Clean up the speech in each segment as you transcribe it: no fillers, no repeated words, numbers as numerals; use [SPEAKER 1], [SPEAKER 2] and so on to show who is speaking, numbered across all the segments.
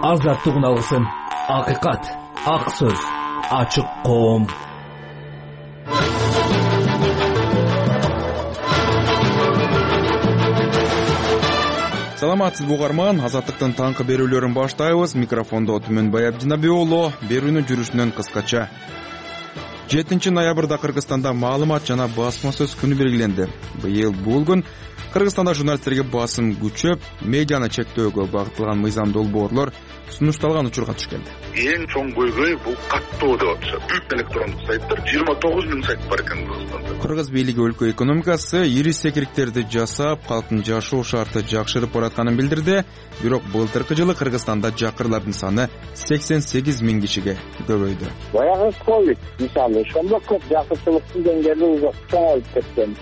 [SPEAKER 1] азаттыгын алсын. Акыйкат, ак сөз, ачык коом.
[SPEAKER 2] Саламатсызбы угарман, азаттыктын таңкы берүүлөрүн баштайбыз. Микрофондо Түмөнбай Абдинабек уулу. Берүүнүн жүрүшүнөн кыскача. 7 ноябрда Кыргызстанда маалымат жана басма сөз күнү белгиленди. Быйыл бул күн Кыргызстанда журналисттерге басым күчөп, медианы чектөөгө багытталган мыйзам долбоорлор сунушталган учурга түшкөн.
[SPEAKER 3] Эң чоң көйгөй бул каттоо деп атышат. Электрондук сайттар 29 000 сайт бар экен Кыргызстанда.
[SPEAKER 2] Кыргыз бийлиги өлкө экономикасы ири секириктерди жасап, калктын жашоо шарты жакшырып баратканын билдирди. Бирок былтыркы жылы Кыргызстанда жакырлардын саны 88 000 кишиге көбөйдү.
[SPEAKER 4] Баягы ковид мисалы ошондо көп жакырчылыктын деңгээли чоңоюп кеткен.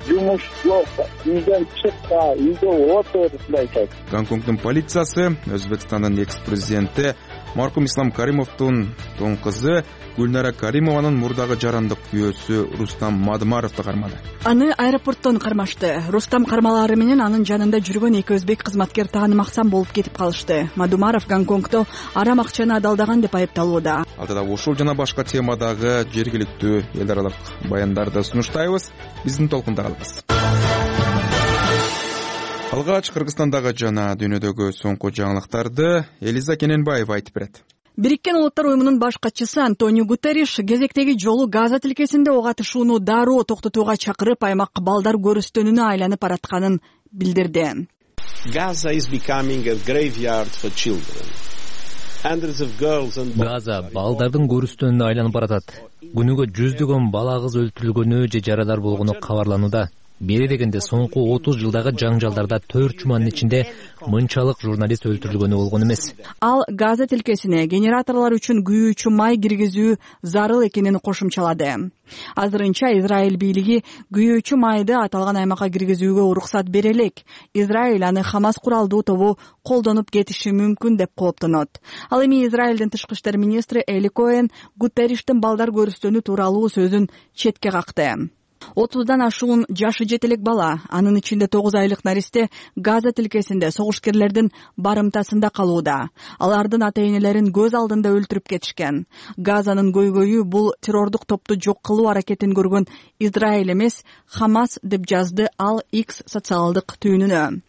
[SPEAKER 4] Жумуш жок, үйдөн чыкпа, үйдө отур деп айтат.
[SPEAKER 2] Гонконгдун полициясы Өзбекстандын экс-президенти маркум Ислам Каримовдун тоң кызы Гүлнара Каримованын мурдагы жарандык күйөөсү Рустам Мадымаровду кармады.
[SPEAKER 5] Аны аэропорттон кармашты. Рустам кармалары менен анын жанында жүргөн эки өзбек кызматкер таанымаксан болуп кетип калышты. Мадымаров Гонконгдо арам акчаны адалдаган деп айыпталууда.
[SPEAKER 2] Алдыда ушул жана башка темадагы жергиликтүү эл аралык баяндарды сунуштайбыз. Биздин толкунда калыңыз. Алгач Кыргызстандагы жана дүйнөдөгү соңку жаңылыктарды Элиза Кененбаева айтып берет.
[SPEAKER 5] Бириккен Улуттар уюмунун баш катчысы Антонио Гутерриш кезектеги жолу Газа тилкесинде ок атышууну дароо токтотууга чакырып, аймак балдар көрүстөнүнө айланып баратканын билдирди.
[SPEAKER 6] Gaza is becoming a graveyard for children. Hundreds of girls and
[SPEAKER 1] Газа балдардын көрүстөнүнө айланып баратат. Күнүгө жүздөгөн бала кыз өлтүрүлгөнү же жарадар болгону кабарланууда. Бери дегенде соңку 30 жылдагы жаңжалдарда 4 жуманын ичинде мынчалык журналист өлтүрүлгөнү болгон эмес.
[SPEAKER 5] Ал Газа тилкесине генераторлор үчүн күйүүчү май киргизүү зарыл экенин кошумчалады. Азырынча Израиль бийлиги күйүүчү майды аталган аймакка киргизүүгө уруксат бере элек. Израиль аны Хамас куралдуу тобу колдонуп кетиши мүмкүн деп кооптонот. Ал эми Израилдин тышкы иштер министри Эли Коэн Гутерриштин балдар көрүстөнү тууралуу сөзүн четке какты. 30дан ашуун жашы жетелек бала, анын ичинде 9 айлык наристе Газа тилкесинде согушкерлердин барымтасында калууда. Алардын ата-энелерин көз алдында өлтүрүп кетишкен. Газанын көйгөйү бул террордук топту жок кылуу аракетин көргөн Израиль эмес, Хамас деп жазды ал X социалдык түйүнүнө.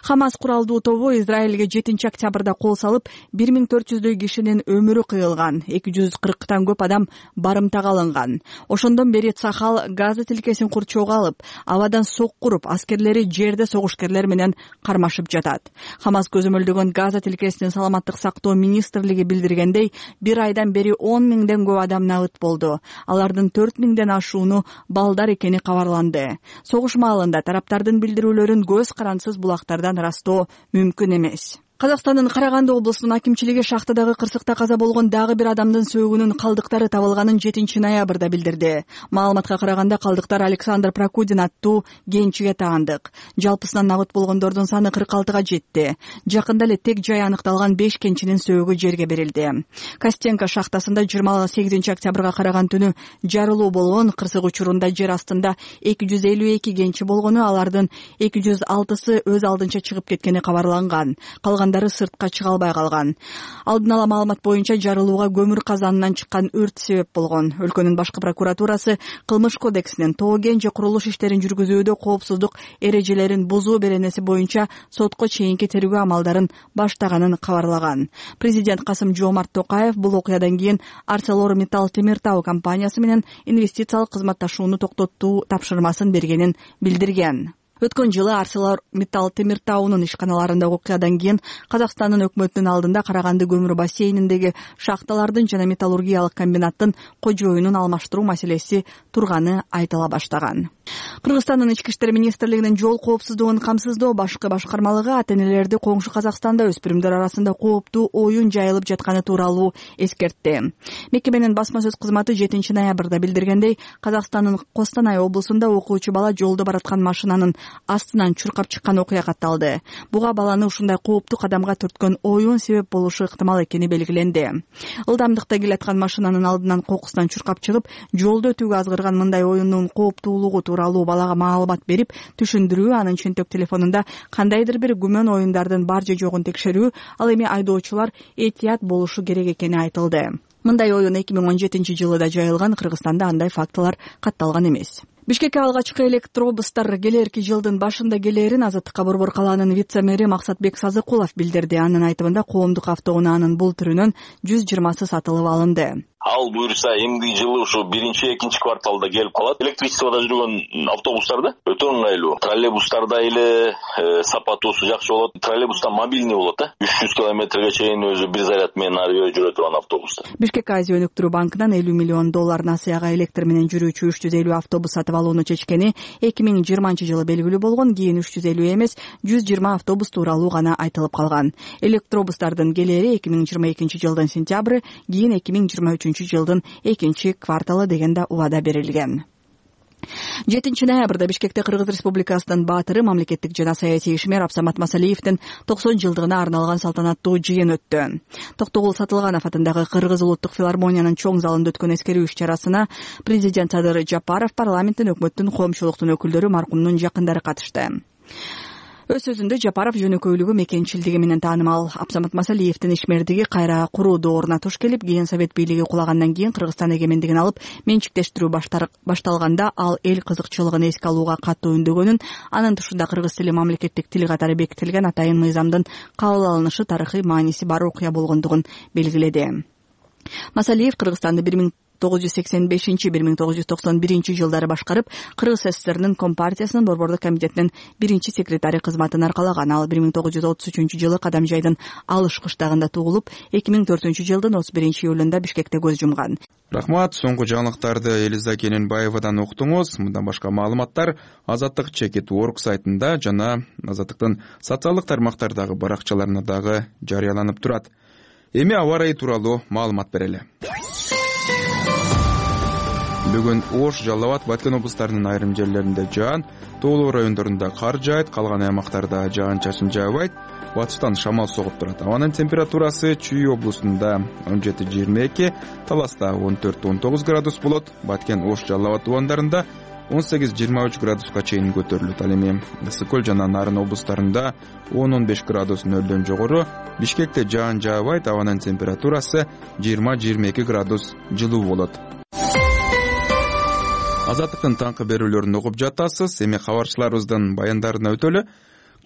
[SPEAKER 5] Хамас куралдуу тобу Израилге 7 октябрда кол салып, 1400дөй кишинин өмүрү кыйылган, 240тан көп адам барымтага алынган. Ошондон бери Цахал Газа тилкесин курчоого алып, абадан сок куруп, аскерлери жерде согушкерлер менен кармашып жатат. Хамас көзөмөлдөгөн Газа тилкесинин саламаттык сактоо министрлиги билдиргендей, бир айдан бери 10 000ден көп адам набыт болду. Алардын 4 000ден ашууну балдар экени кабарланды. Согуш маалында тараптардын билдирүүлөрүн көз карансыз булактардан ырастоо мүмкүн эмес. Казакстандын Караганды облусунун акимчилиги шахтадагы кырсыкта каза болгон дагы бир адамдын сөөгүнүн калдыктары табылганын 7 ноябрда билдирди. Маалыматка караганда калдыктар Александр Прокудин аттуу кенчиге таандык. Жалпысынан набыт болгондордун саны 46га жетти. Жакында эле тег жай аныкталган 5 кенчинин сөөгү жерге берилди. Костенко шахтасында 28 октябрга караган түнү жарылуу болгон. Кырсык учурунда жер астында 252 кенчи болгону, алардын 206сы өз алдынча чыгып кеткени кабарланган. Калгандары сыртка чыга албай калган. Алдын ала маалымат боюнча жарылууга көмүр казанынан чыккан өрт себеп болгон. Өлкөнүн башкы прокуратурасы кылмыш кодексинин тоо-кен же курулуш иштерин жүргүзүүдө коопсуздук эрежелерин бузуу беренеси боюнча сотко чейинки тергөө амалдарын баштаганын кабарлаган. Президент Касым-Жомарт Токаев бул окуядан кийин ArcelorMittal Темиртау компаниясы менен инвестициялык кызматташууну токтотуу тапшырмасын бергенин билдирген. Өткөн жылы ArcelorMittal Темиртаунун ишканаларындагы окуядан кийин Казакстандын өкмөтүнүн алдында Караганды көмүр бассейниндеги шахталардын жана металлургиялык комбинаттын кожоюнун алмаштыруу маселеси турганы айтыла баштаган. Кыргызстандын ички иштер министрлигинин жол коопсуздугун камсыздоо башкы башкармалыгы ата-энелерди коңшу Казакстанда өспүрүмдөр арасында кооптуу оюн жайылып жатканы тууралуу эскертти. Мекеменин басма сөз кызматы 7 ноябрда билдиргендей, Казакстандын Костанай облусунда окуучу бала жолдо бараткан машинанын астынан чуркап чыккан окуя катталды. Буга баланы ушундай кооптуу кадамга түрткөн оюн себеп болушу ыктымал экени белгиленди. Ылдамдыкта келаткан машинанын алдынан кокустан чуркап чыгып, жолду өтүүгө азгырган мындай оюндун кооптуулугу тууралуу балага маалымат берип түшүндүрүү, анын чөнтөк телефонунда кандайдыр бир күмөн оюндардын бар же жогун текшерүү, ал эми айдоочулар этият болушу керек экени айтылды. Мындай оюн 2017-жылы да жайылган, Кыргызстанда андай фактылар катталган эмес. Бишкекке алгачкы электробустар келерки жылдын башында келээрин Азаттыкка Борбор калаанын вице-мэри Максатбек Сазыкулов билдирди. Анын айтымында коомдук автоунаанын бул түрүнөн 120сы сатылып алынды.
[SPEAKER 7] Ал буюрса эмдиги жылы ушу 1-экинчи кварталда келип калат. Электричествода жүргөн автобустарда өтө ыңгайлуу. Троллейбустарда эле сапатусу жакшы болот. Троллейбуста мобильный болот да. 300 километрге чейин өзү бир заряд менен ары бери жүрө турган автобустар.
[SPEAKER 5] Бишкек Азия өнүктүрүү банкынан 50 миллион доллар насыяга электр менен жүрүүчү 350 автобус сатып алууну чечкени 2020-жылы белгилүү болгон. Кийин 350 эмес, 120 автобус тууралуу гана айтылып калган. Электробустардын келери 2022-жылдын сентябры, кийин 2023-жылдын 2-кварталы деген да убада берилген. 7-ноябрда Бишкекте Кыргыз Республикасынын баатыры, мамлекеттик жана саясий ишмер Абсамат Масалиевдин 90 жылдыгына арналган салтанаттуу жыйын өттү. Токтогул Сатылганов атындагы Кыргыз улуттук филармониянын чоң залында өткөн эскерүү иш-чарасына президент Садыр Жапаров, парламенттин, өкмөттүн, коомчулуктун өкүлдөрү, маркумдун жакындары катышты. Өз сөзүндө Жапаров жөнөкөйлүгү, мекенчилдиги менен таанымал Абсамат Масалиевдин ишмердиги кайра куруу дооруна туш келип, кийин Совет бийлиги кулагандан кийин Кыргызстан эгемендигин алып менчиктештирүү башталганда ал эл кызыкчылыгын эске алууга катуу үндөгөнүн, анын тушунда кыргыз тили мамлекеттик тил катары бекитилген атайын мыйзамдын кабыл алынышы тарыхый мааниси бар окуя болгондугун белгиледи. Масалиев Кыргызстанды 1985-1991 жылдары башкарып, Кыргыз СССРнын Компартиясынын Борбордук комитетинин 1-секретари кызматын аркалаган. Ал 1933-жылы Кадамжайдын Алыш кыштагында туулуп, 2004-жылдын 31-июлунда Бишкекте көз жумган.
[SPEAKER 2] Рахмат, соңку жаңылыктарды Элиза Кененбаевадан уктуңуз. Мындан башка маалыматтар Азаттык Чекит.org сайтында жана Азаттыктын социалдык тармактардагы баракчаларында дагы жарыяланып турат. Эми аба ырайы тууралуу маалымат берели. Бүгүн Ош, Жалал Абад, Баткен облустарынын айрым жерлеринде жаан, тоолуу райондорунда кар жаайт, калган аймактарда жаан-чачын жаабайт, батыштан шамал согуп турат. Абанын температурасы Чүй облусунда 17-22, Таласта 14-19 градус болот, Баткен, Ош, Жалал Абад тубандарында 18-23 градуска чейин көтөрүлөт. Ал эми Ысык Көл жана Нарын облустарында 10-15 градус нөлдөн жогору, Бишкекте жаан жаабайт, абанын температурасы 20-22 градус жылуу болот. Азаттыктын таңкы берүүлөрүн угуп жатасыз. Эми кабарчыларыбыздын баяндарына өтөлү.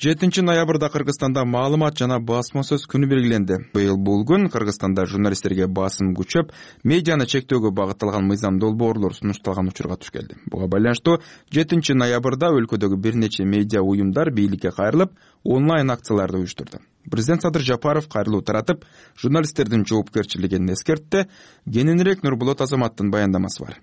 [SPEAKER 2] 7-ноябрда Кыргызстанда маалымат жана басма сөз күнү белгиленди. Быйыл бул күн Кыргызстанда журналисттерге басым күчөп, медианы чектөөгө багытталган мыйзам долбоорлор сунушталган учурга туш келди. Буга байланыштуу 7-ноябрда өлкөдөгү бир нече медиа уюмдар бийликке кайрылып, онлайн акцияларды уюштурду. Президент Садыр Жапаров кайрылуу таратып, журналисттердин жоопкерчилигин эскертти. Кененирээк Нурбулат Азаматтын баяндамасы бар.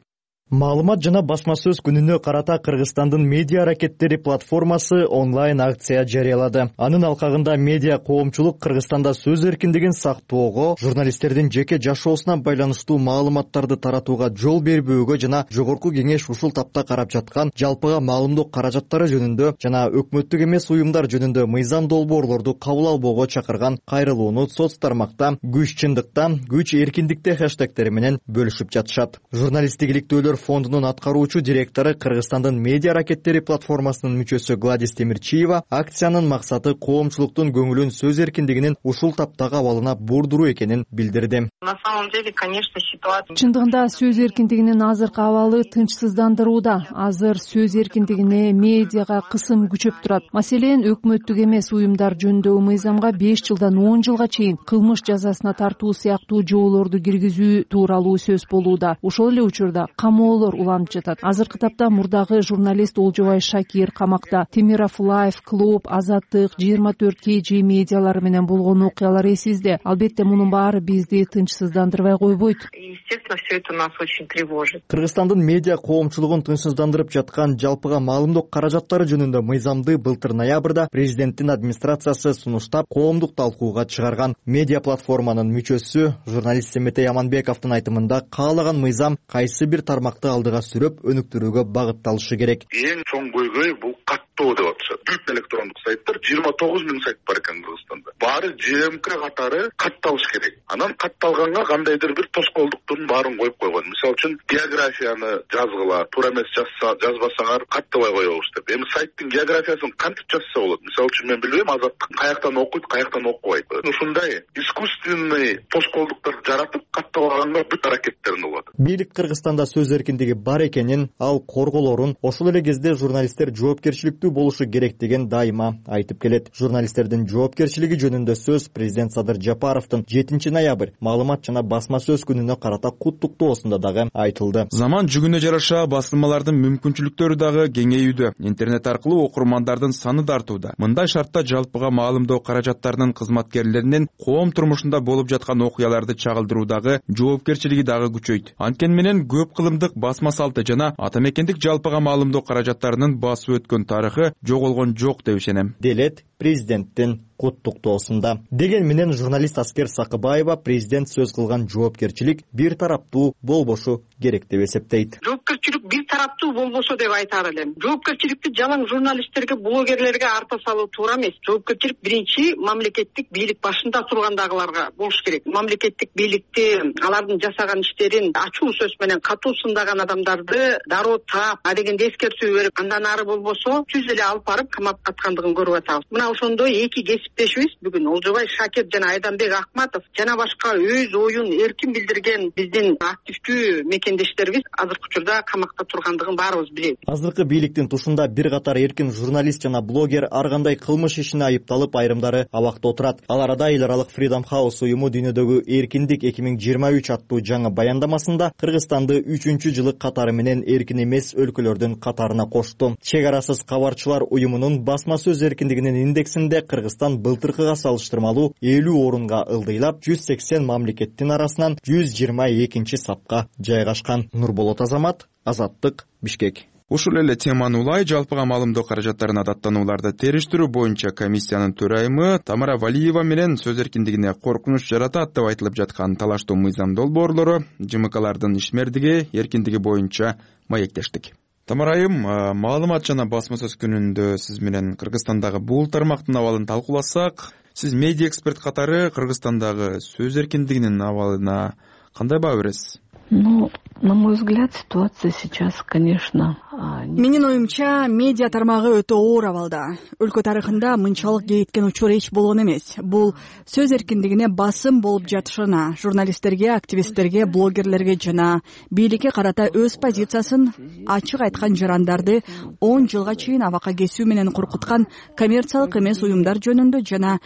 [SPEAKER 8] Маалымат жана басма сөз күнүнө карата Кыргызстандын медиа аракеттери платформасы онлайн акция жарыялады. Анын алкагында медиа коомчулук Кыргызстанда сөз эркиндигин сактоого, журналисттердин жеке жашоосуна байланыштуу маалыматтарды таратууга жол бербөөгө жана жогорку кеңеш ушул тапта карап жаткан жалпыга маалымдоо каражаттары жөнүндө жана өкмөттүк эмес уюмдар жөнүндө мыйзам долбоорлорду кабыл албоого чакырган кайрылууну соц тармакта күч чындыкта, күч эркиндикте хэштегтери менен бөлүшүп жатышат. Журналисттик иликтөөлөр фондунун аткаруучу директору, Кыргызстандын медиа аракеттери платформасынын мүчөсү Гладис Темирчиева акциянын максаты коомчулуктун көңүлүн сөз эркиндигинин ушул таптагы абалына бурдуруу экенин билдирди.
[SPEAKER 9] На самом деле, конечно, ситуация.
[SPEAKER 10] Чындыгында сөз эркиндигинин азыркы абалы тынчсыздандырууда. Азыр сөз эркиндигине, медиага кысым күчөп турат. Маселен, өкмөттүк эмес уюмдар жөнүндөгү мыйзамга 5 жылдан 10 жылга чейин кылмыш жазасына тартуу сыяктуу жоолорду киргизүү тууралуу сөз болууда. Ошол эле учурда камоолор уланып жатат. Азыркы тапта мурдагы журналист Олжобай Шакир камакта. Темиров Лайф, Клуб, Азаттык, 24 KG медиалары менен болгон окуялар эсизде. Албетте мунун баары бизди тынчсыздандырбай койбойт.
[SPEAKER 9] Естественно, все это нас очень тревожит.
[SPEAKER 8] Кыргызстандын медиа коомчулугун тынчсыздандырып жаткан жалпыга маалымдоо каражаттары жөнүндө мыйзамды былтыр ноябрда президенттин администрациясы сунуштап, коомдук талкууга чыгарган. Медиа платформанын мүчөсү журналист Семетей Аманбековдун айтымында, каалаган мыйзам кайсы бир тармак аймакты алдыга сүрөп өнүктүрүүгө багытталышы керек.
[SPEAKER 3] Эң чоң көйгөй бул каттоо деп атышат. Бүт электрондук сайттар 29 000 сайт бар экен Кыргызстанда. Баары ЖМК катары катталыш керек. Анан катталганга кандайдыр бир тоскоолдуктун баарын коюп койгон. Мисалы үчүн географияны жазгыла, туура эмес жазбасаңар каттабай коебуз деп. Эми сайттын географиясын кантип жазса болот? Мисалы үчүн мен билбейм, Азаттык каяктан окуйт, каяктан окубайт. Ушундай искусственный тоскоолдуктарды жаратып каттабаганга бүт аракеттерин кылат.
[SPEAKER 8] Бийлик Кыргызстанда сөз эркиндиги бар экенин, ал корголорун, ошол эле кезде журналисттер жоопкерчиликтүү болушу керек деген дайыма айтып келет. Журналисттердин жоопкерчилиги жөнүндө сөз президент Садыр Жапаровдун 7 ноябрь маалымат жана басма сөз күнүнө карата куттуктоосунда дагы айтылды.
[SPEAKER 2] Заман жүгүнө жараша басылмалардын мүмкүнчүлүктөрү дагы кеңейүүдө. Интернет аркылуу окурмандардын саны да артууда. Мындай шартта жалпыга маалымдоо каражаттарынын кызматкерлеринин коом турмушунда болуп жаткан окуяларды чагылдыруудагы жоопкерчилиги дагы күчөйт. Анткени менен көп кылымдык басма салты жана ата мекендик жалпыга маалымдоо каражаттарынын басып өткөн тарыхы жоголгон жок деп ишенем,
[SPEAKER 8] делет президенттин куттуктоосунда. Деген менен журналист Аскер Сакыбаева президент сөз кылган жоопкерчилик бир тараптуу болбошу керек деп эсептейт.
[SPEAKER 9] Жоопкерчилик бир тараптуу болбосо деп айтар элем. Жоопкерчиликти жалаң журналисттерге, блогерлерге арта салуу туура эмес. Жоопкерчилик биринчи мамлекеттик бийлик башында тургандагыларга болуш керек. Мамлекеттик бийликти, алардын жасаган иштерин ачуу сөз менен катуу сындаган адамдарды дароо таап, дегенде эскертүү берип, андан ары болбосо түз эле алып барып камап аткандыгын көрүп атабыз. Мына ошондой эки кесиптешибиз бүгүн Олжобай Шакир жана Айданбек Акматов жана башка өз оюн эркин билдирген биздин активдүү мекендештерибиз азыркы учурда камакта тургандыгын баарыбыз билебиз.
[SPEAKER 8] Азыркы бийликтин тушунда бир катар эркин журналист жана блогер ар кандай кылмыш ишине айыпталып, айрымдары абакта отурат. Ал арада эл аралык Freedom House уюму дүйнөдөгү эркиндик 2023 аттуу жаңы баяндамасында Кыргызстанды 3-жылы катары менен эркин эмес өлкөлөрдүн катарына кошту. Чек арасыз кабарчылар уюмунун басма сөз эркиндигинин индексинде Кыргызстан былтыркыга салыштырмалуу 50 орунга ылдыйлап, 180 мамлекеттин арасынан 122 сапка жайгашкан. Нурболот Азамат, Азаттык, Бишкек.
[SPEAKER 2] Ушул эле теманы улай жалпыга маалымдоо каражаттарына даттанууларды териштирүү боюнча комиссиянын төрайымы Тамара Валиева менен сөз эркиндигине коркунуч жаратат деп айтылып жаткан талаштуу мыйзам долбоорлору, ЖМКлардын ишмердиги, эркиндиги боюнча маектештик. Тамара айым, маалымат жана басма сөз күнүндө сиз менен Кыргызстандагы бул тармактын абалын талкууласак, сиз медиа эксперт катары Кыргызстандагы сөз эркиндигинин абалына кандай баа бересиз?
[SPEAKER 11] На мой взгляд, ситуация сейчас, конечно...
[SPEAKER 5] Менин оюмча, медиа тармагы өтө оор абалда. Өлкө тарыхында мынчалык кейиткен учур эч болгон эмес. Бул сөз эркиндигине басым болуп жатышына, журналисттерге, активисттерге, блогерлерге жана бийликке карата өз позициясын ачык айткан жарандарды 10 жылга чейин абакка кесүү менен коркуткан коммерциялык эмес уюмдар жөнүндө жана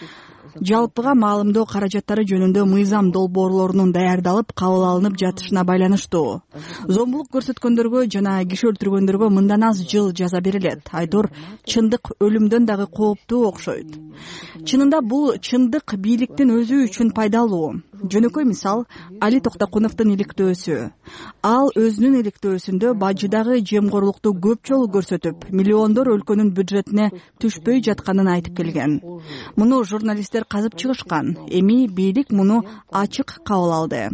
[SPEAKER 5] жалпыга маалымдоо каражаттары жөнүндө мыйзам долбоорлорунун даярдалып кабыл алынып жатышына байланыштуу. Зомбулук көрсөткөндөргө жана киши өлтүргөндөргө мындан аз жыл жаза берилет. Айтор чындык өлүмдөн дагы кооптуу окшойт. Чынында бул чындык бийликтин өзү үчүн пайдалуу. Жөнөкөй мисал Али Токтокуновдун иликтөөсү. Ал өзүнүн иликтөөсүндө бажыдагы жемкорлукту көп жолу көрсөтүп, миллиондор өлкөнүн бюджетине түшпөй жатканын айтып келген. Муну журналисттер казып чыгышкан. Эми бийлик муну ачык кабыл алды.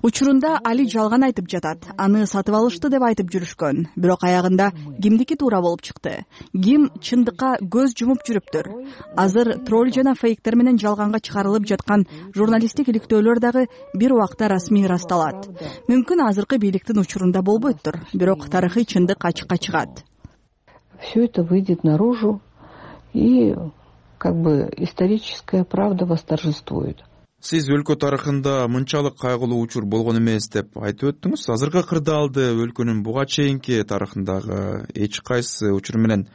[SPEAKER 5] Учурунда Али жалган айтып жатат. Аны сатып алышты деп айтып жүрүшкөн. Бирок аягында кимдики туура болуп чыкты? Ким чындыкка көз жумуп жүрүптүр? Азыр тролль жана фейктер менен жалганга чыгарылып жаткан журналисттик иликтөөлөр дагы бир убакта расмий ырасталат. Мүмкүн азыркы бийликтин учурунда болбойттур, бирок тарыхый чындык ачыкка чыгат.
[SPEAKER 11] Все это выйдет наружу, и историческая правда восторжествует.
[SPEAKER 2] Сиз өлкө тарыхында мынчалык кайгылуу учур болгон эмес деп айтып өттүңүз. Азыркы кырдаалды өлкөнүн буга чейинки тарыхындагы эч кайсы учур менен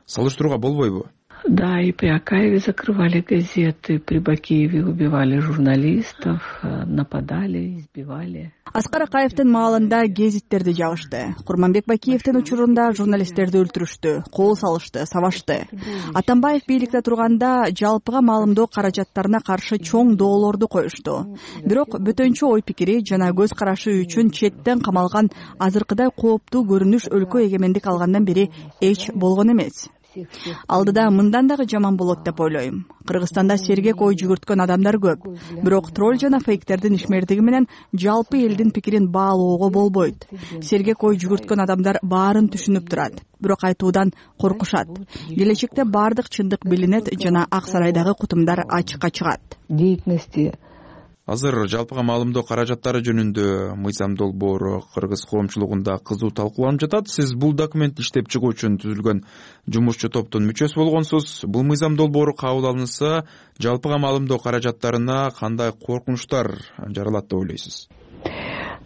[SPEAKER 2] салыштырууга болбойбу?
[SPEAKER 11] Да, и при Акаеве закрывали газеты, при Бакееве убивали журналистов, нападали, избивали.
[SPEAKER 5] Аскар Акаевдин маалында гезиттерди жабышты. Курманбек Бакиевдин учурунда журналисттерди өлтүрүштү, кол салышты, сабашты. Атамбаев бийликте турганда жалпыга маалымдоо каражаттарына каршы чоң доолорду коюшту. Бирок бөтөнчө ой пикири жана көз карашы үчүн четтен камалган азыркыдай кооптуу көрүнүш өлкө эгемендик алгандан бери эч болгон эмес. Алдыда мындан дагы жаман болот деп ойлойм. Кыргызстанда сергек ой жүгүрткөн адамдар көп. Бирок тролл жана фейктердин ишмердиги менен жалпы элдин пикирин баалоого болбойт. Сергек ой жүгүрткөн адамдар баарын түшүнүп турат, бирок айтуудан коркушат. Келечекте баардык чындык билинет жана Ак Сарайдагы кутумдар ачыкка чыгат.
[SPEAKER 11] Деятельности.
[SPEAKER 2] Азыр жалпыга маалымдоо каражаттары жөнүндө мыйзам долбоору кыргыз коомчулугунда кызуу талкууланып жатат. Сиз бул документти иштеп чыгуу үчүн түзүлгөн жумушчу топтун мүчөсү болгонсуз. Бул мыйзам долбоору кабыл алынса, жалпыга маалымдоо каражаттарына кандай коркунучтар жаралат деп ойлойсуз?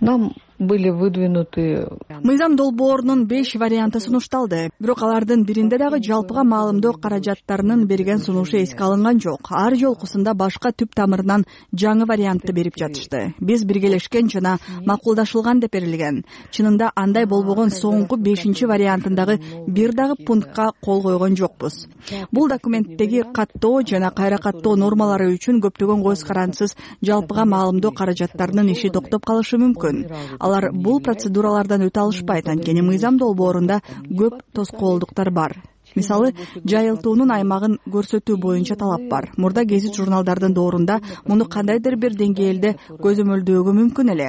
[SPEAKER 11] Нам были выдвинуты.
[SPEAKER 5] Мыйзам долбоорунун 5 варианты сунушталды. Бирок алардын биринде дагы жалпыга маалымдоо каражаттарынын берген сунушу эске алынган жок. Ар жолкусунда башка түп тамырынан жаңы вариантты берип жатышты. Биз биргелешкен жана макулдашылган деп берилген. Чынында андай болбогон соңку 5 вариантындагы бир дагы пунктка кол койгон жокпуз. Бул документтеги каттоо жана кайра каттоо нормалары үчүн көптөгөн көз карандысыз жалпыга маалымдоо каражаттарынын иши токтоп калышы мүмкүн. Алар бул процедуралардан өтө алышпайт, анткени мыйзам долбоорунда көп тоскоолдуктар бар. Мисалы, жайылтуунун аймагын көрсөтүү боюнча талап бар. Мурда гезит журналдардын доорунда муну кандайдыр бир деңгээлде көзөмөлдөөгө мүмкүн эле.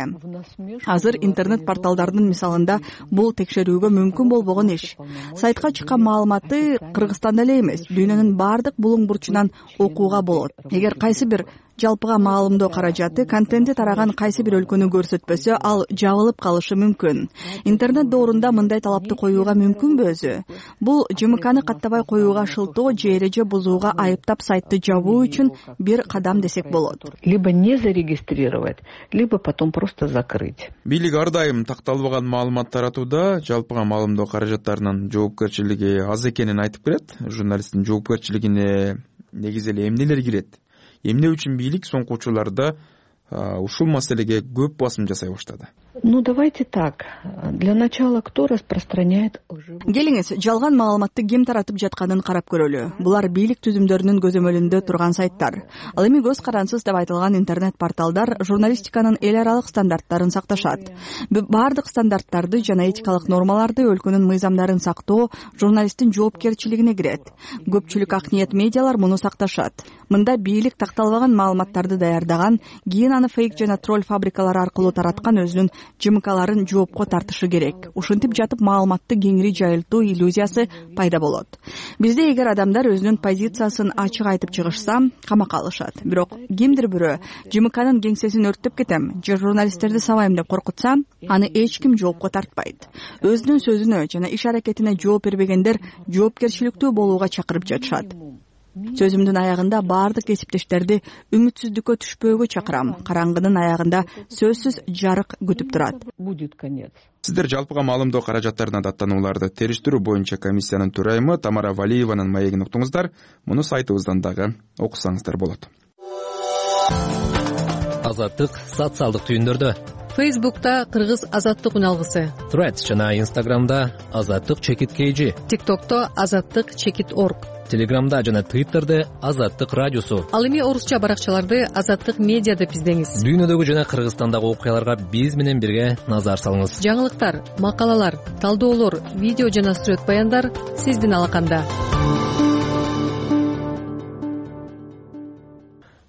[SPEAKER 5] Азыр интернет порталдардын мисалында бул текшерүүгө мүмкүн болбогон иш. Сайтка чыккан маалыматты Кыргызстанда эле эмес, дүйнөнүн баардык булуң бурчунан окууга болот. Эгер кайсы бир жалпыга маалымдоо каражаты контенти тараган кайсы бир өлкөнү көрсөтпөсө, ал жабылып калышы мүмкүн. Интернет доорунда мындай талапты коюуга мүмкүнбү өзү? Бул ЖМКны каттабай коюуга шылтоо же эреже бузууга айыптап сайтты жабуу үчүн бир кадам десек болот.
[SPEAKER 11] Либо не зарегистрировать, либо потом просто закрыть.
[SPEAKER 2] Бийлик ар дайым такталбаган маалымат таратууда жалпыга маалымдоо каражаттарынын жоопкерчилиги аз экенин айтып келет. Журналисттин жоопкерчилигине негизи эле эмнелер кирет? Эмне үчүн бийлик соңку учурларда ушул маселеге көп басым жасай баштады?
[SPEAKER 11] Ну, давайте так. Для начала, кто распространяет лживую...
[SPEAKER 5] Келиңиз, жалган маалыматты ким таратып жатканын карап көрөлү. Булар бийлик түзүмдөрүнүн көзөмөлүндө турган сайттар. Ал эми көз карансыз деп айтылган интернет порталдар журналистиканын эл аралык стандарттарын сакташат. Баардык стандарттарды жана этикалык нормаларды өлкөнүн мыйзамдарын сактоо журналисттин жоопкерчилигине кирет. Көпчүлүк ак ниет медиалар муну сакташат. Мында бийлик такталбаган маалыматтарды даярдаган, кийин аны фейк жана тролль фабрикалары аркылуу тараткан өзүнүн ЖМКларын жоопко тартышы керек. Ушинтип жатып маалыматты кеңири жайылтуу иллюзиясы пайда болот. Бизде эгер адамдар өзүнүн позициясын ачык айтып чыгышса, камакка алышат. Бирок кимдир бирөө ЖМКнын кеңсесин өрттөп кетем же журналисттерди сабайм деп коркутса, аны эч ким жоопко тартпайт. Өзүнүн сөзүнө жана иш аракетине жооп бербегендер жоопкерчиликтүү болууга чакырып жатышат. Сөзүмдүн аягында баардык кесиптештерди үмүтсүздүккө түшпөөгө чакырам. Караңгынын аягында сөзсүз жарык күтүп турат.
[SPEAKER 11] Будет конец.
[SPEAKER 2] Сиздер жалпыга маалымдоо каражаттарына даттанууларды териштирүү боюнча комиссиянын төрайымы Тамара Валиеванын маегин уктуңуздар. Муну сайтыбыздан дагы окусаңыздар болот.
[SPEAKER 1] Азаттык социалдык түйүндөрдө.
[SPEAKER 10] Фейсбукта Кыргыз азаттык үналгысы.
[SPEAKER 1] Threads жана Instagramда азаттык чекит KG.
[SPEAKER 10] TikTokто азаттык чекит org.
[SPEAKER 1] Телеграмда жана Twitterде азаттык радиосу.
[SPEAKER 10] Ал эми орусча баракчаларды азаттык медиа деп издеңиз.
[SPEAKER 1] Дүйнөдөгү жана Кыргызстандагы окуяларга биз менен бирге назар салыңыз.
[SPEAKER 10] Жаңылыктар, макалалар, талдоолор, видео жана сүрөт баяндар сиздин алаканда.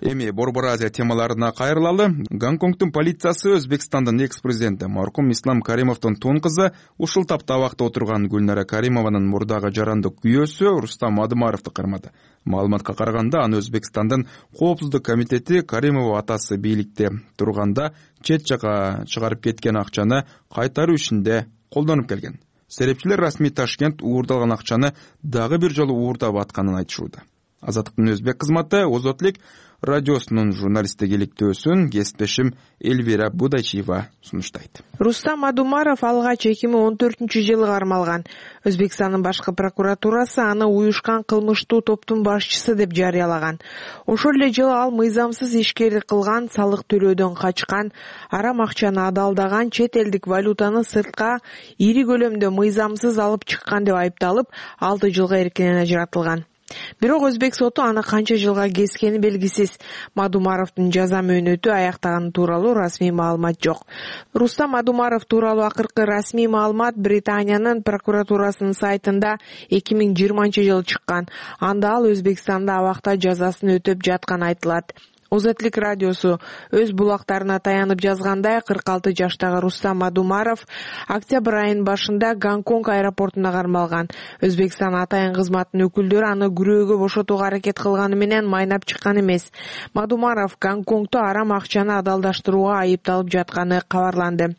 [SPEAKER 2] Эми Борбор Азия темаларына кайрылалы. Гонконгдун полициясы Өзбекстандын экс-президенти маркум Ислам Каримовдун тон кызы ушул тапта абакта отурган Гүлнара Каримованын мурдагы жарандык күйөөсү Рустам Адымаровду кармады. Маалыматка караганда, аны Өзбекстандын коопсуздук комитети Каримова атасы бийликте турганда чет жака чыгарып кеткен акчаны кайтаруу ишинде колдонуп келген. Серепчилер расмий Ташкент уурдалган акчаны дагы бир жолу уурдап атканын айтышууда. Азаттыктын өзбек кызматы Озотлик радиосунун журналисттик иликтөөсүн кесиптешим Эльвира Будачиева сунуштайт.
[SPEAKER 12] Рустам Адумаров алгач 2014-жылы кармалган. Өзбекстандын башкы прокуратурасы аны уюшкан кылмыштуу топтун башчысы деп жарыялаган. Ошол эле жылы ал мыйзамсыз ишкерлик кылган, салык төлөөдөн качкан, арам акчаны адалдаган, чет элдик валютаны сыртка ири көлөмдө мыйзамсыз алып чыккан деп айыпталып, 6 жылга эркинен ажыратылган. Бирок өзбек соту аны канча жылга кескени белгисиз. Мадумаровдун жаза мөөнөтү аяктаганы тууралуу расмий маалымат жок. Рустам Мадумаров тууралуу акыркы расмий маалымат Британиянын прокуратурасынын сайтында 2020-жылы чыккан. Анда ал Өзбекстанда абакта жазасын өтөп жатканы айтылат. Озотлук радиосу өз булактарына таянып жазгандай, 46 жаштагы Рустам Мадумаров октябрь айынын башында Гонконг аэропортуна кармалган. Өзбекстан атайын кызматынын өкүлдөрү аны күрөөгө бошотууга аракет кылганы менен майнап чыккан эмес. Мадумаров Гонконгдо арам акчаны адалдаштырууга айыпталып жатканы кабарланды.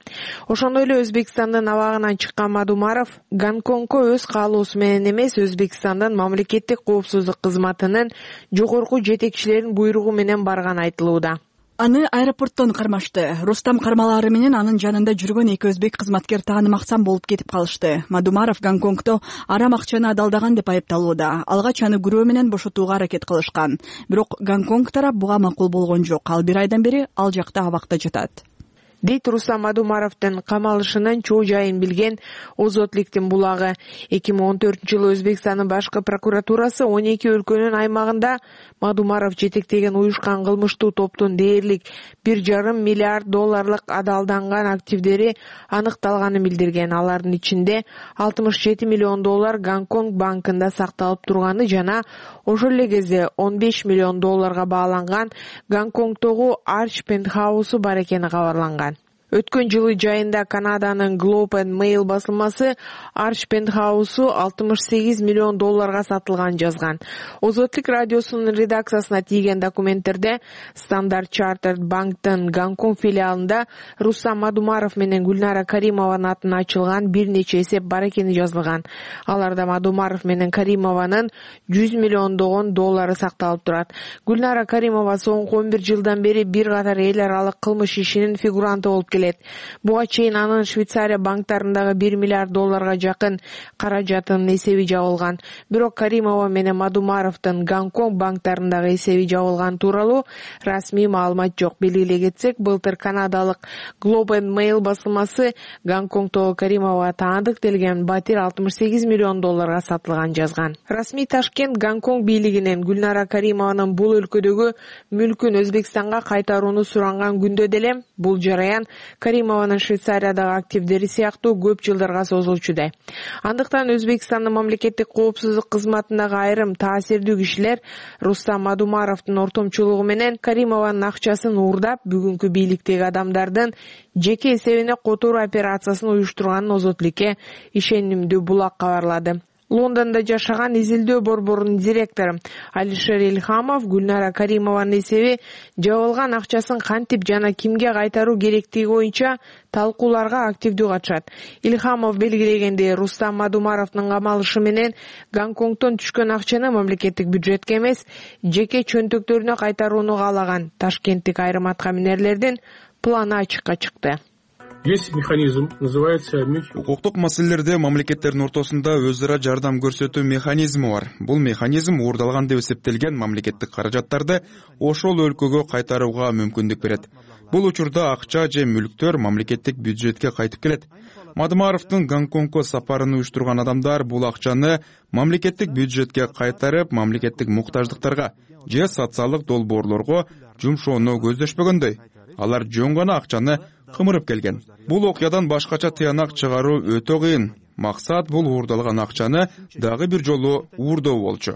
[SPEAKER 12] Ошондой эле Өзбекстандын абагынан чыккан Мадумаров Гонконгго өз каалоосу менен эмес, Өзбекстандын мамлекеттик коопсуздук кызматынын жогорку жетекчилеринин буйругу менен барган айтылууда.
[SPEAKER 5] Аны аэропорттон кармашты. Рустам кармалаары менен анын жанында жүргөн 2 өзбек кызматкер таанымаксан болуп кетип калышты. Мадумаров Гонконгдо арам акчаны адалдаган деп айыпталууда. Алгач аны күрөө менен бошотууга аракет кылышкан. Бирок Гонконг тарап буга макул болгон жок. Ал 1 айдан бери ал жакта абакта жатат.
[SPEAKER 12] Дейт Рустам Мадумаровдун камалышынын чоо жайын билген Озотлуктун булагы. 2014-жылы Өзбекстандын башкы прокуратурасы 12 өлкөнүн аймагында Мадумаров жетектеген уюшкан кылмыштуу топтун дээрлик $1,5 миллиард адалданган активдери аныкталганын билдирген. Алардын ичинде $67 миллион Гонконг банкында сакталып турганы жана ошол эле кезде $15 миллион бааланган Гонконгдогу Arch Penthouse бар экени кабарланган. Өткөн жылы жайында Канаданын Globe and Mail басылмасы Arch Penthouse $68 миллион сатылган жазган. Озотлук радиосунун редакциясына тийген документтерде Standard Chartered банктын Гонконг филиалында Рустам Мадумаров менен Гүлнара Каримованын атына ачылган бир нече эсеп бар экени жазылган. Аларда Мадумаров менен Каримованын $100 миллион сакталып турат. Гүлнара Каримова соңку 11 жылдан бери бир катар эл аралык кылмыш ишинин фигуранты болуп келет. Буга чейин анын Швейцария банктарындагы $1 миллиард жакын каражатынын эсеби жабылган. Бирок Каримова менен Мадумаровдун Гонконг банктарындагы эсеби жабылган тууралуу расмий маалымат жок. Белгилей кетсек, былтыр канадалык Globe and Mail басылмасы Гонконгдогу Каримова таандык делген батир $68 миллион сатылган жазган. Расмий Ташкент Гонконг бийлигинен Гүлнара Каримованын бул өлкөдөгү мүлкүн Өзбекстанга кайтарууну суранган күндө деле бул жараян Каримованын Швейцариядагы активдери сыяктуу көп жылдарга созулчудай. Андыктан Өзбекстандын мамлекеттик коопсуздук кызматындагы айрым таасирдүү кишилер Рустам Мадумаровдун ортомчулугу менен Каримованын акчасын уурдап, бүгүнкү бийликтеги адамдардын жеке эсебине которуу операциясын уюштурганын Озотлукке ишенимдүү булак кабарлады. Лондондо жашаган изилдөө борборунун директору Алишер Илхамов Гүлнара Каримованын эсеби жабылган акчасын кантип жана кимге кайтаруу керектиги боюнча талкууларга активдүү катышат. Илхамов белгилегендей, Рустам Мадумаровдун камалышы менен Гонконгдон түшкөн акчаны мамлекеттик бюджетке эмес, жеке чөнтөктөрүнө кайтарууну каалаган ташкенттик айрым аткаминерлердин планы ачыкка чыкты.
[SPEAKER 13] Есть механизм, называется...
[SPEAKER 2] Укуктук маселелерде мамлекеттердин ортосунда өзара жардам көрсөтүү механизми бар. Бул механизм уурдалган деп эсептелген мамлекеттик каражаттарды ошол өлкөгө кайтарууга мүмкүндүк берет. Бул учурда акча же мүлктөр мамлекеттик бюджетке кайтып келет. Мадумаровдун Гонконгго сапарын уюштурган адамдар бул акчаны мамлекеттик бюджетке кайтарып, мамлекеттик муктаждыктарга же социалдык долбоорлорго жумшоону көздөшпөгөндөй. Алар жөн гана акчаны кымырып келген. Бул окуядан башкача тыянак чыгаруу өтө кыйын. Максат бул уурдалган акчаны дагы бир жолу уурдоо болчу.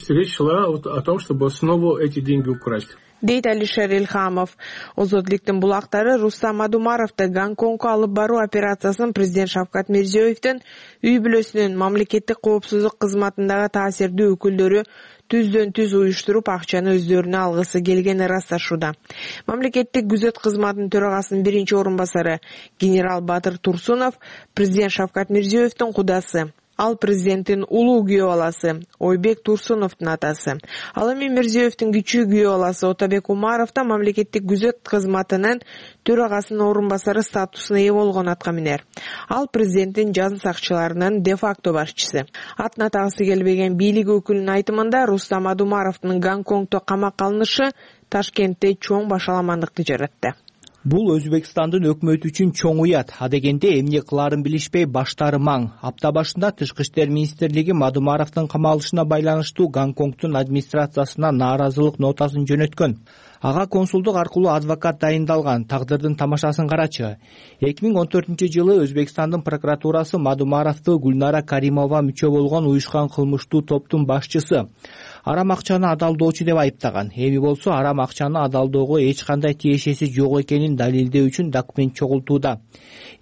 [SPEAKER 13] Речь шла о том, чтобы снова эти деньги украсть.
[SPEAKER 12] Дейт Алишер Илхамов. Озотлуктун булактары Рустам Мадумаровду Гонконгго алып баруу операциясын президент Шавкат Мирзиёевдин үй бүлөсүнүн мамлекеттик коопсуздук кызматындагы таасирдүү өкүлдөрү түздөн-түз уюштуруп, акчаны өздөрүнө алгысы келгени ырасташууда. Мамлекеттик күзөт кызматынын төрагасынын биринчи орун басары генерал Батыр Турсунов президент Шавкат Мирзиёевдин кудасы. Ал президенттин улуу күйөө баласы Ойбек Турсуновдун атасы. Ал эми Мирзиёевдин кичүү күйөө баласы Отабек Умаров да мамлекеттик күзөт кызматынын төрагасынын орун басары статусуна ээ болгон аткаминер. Ал президенттин жаза сакчыларынын де-факто башчысы. Атын атагысы келбеген бийлик өкүлүнүн айтымында Рустам Мадумаровдун Гонконгдо камакка алынышы Ташкентте чоң башаламандыкты жаратты.
[SPEAKER 14] Бул Өзбекстандын өкмөтү үчүн чоң уят. Адегенде эмне кылаарын билишпей баштары маң. Апта башында Тышкы иштер министрлиги Мадумаровдун камалышына байланыштуу Гонконгдун администрациясына нааразылык нотасын жөнөткөн. Ага консулдук аркылуу адвокат дайындалган. Тагдырдын тамашасын карачы. 2014-жылы Өзбекстандын прокуратурасы Мадумаровду Гүлнара Каримова мүчө болгон уюшкан кылмыштуу топтун башчысы арам акчаны адалдоочу деп айыптаган. Эми болсо арам акчаны адалдоого эч кандай тиешеси жок экенин далилдөө үчүн документ чогултууда.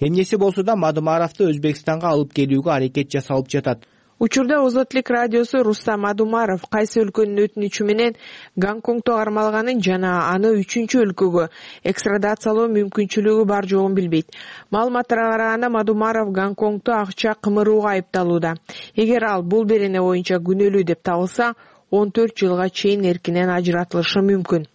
[SPEAKER 14] Эмнеси болсо да Мадумаровду Өзбекстанга алып келүүгө аракет жасалып жатат.
[SPEAKER 12] Учурда Озотлук радиосу Рустам Мадумаров кайсы өлкөнүн өтүнүчү менен Гонконгдо кармалганын жана аны 3-чү өлкөгө экстрадациялоо мүмкүнчүлүгү бар жогун билбейт. Маалыматтарга караганда Мадумаров Гонконгдо акча кымырууга айыпталууда. Эгер ал бул берене боюнча күнөөлүү деп табылса, 14 жылга чейин эркинен ажыратылышы мүмкүн.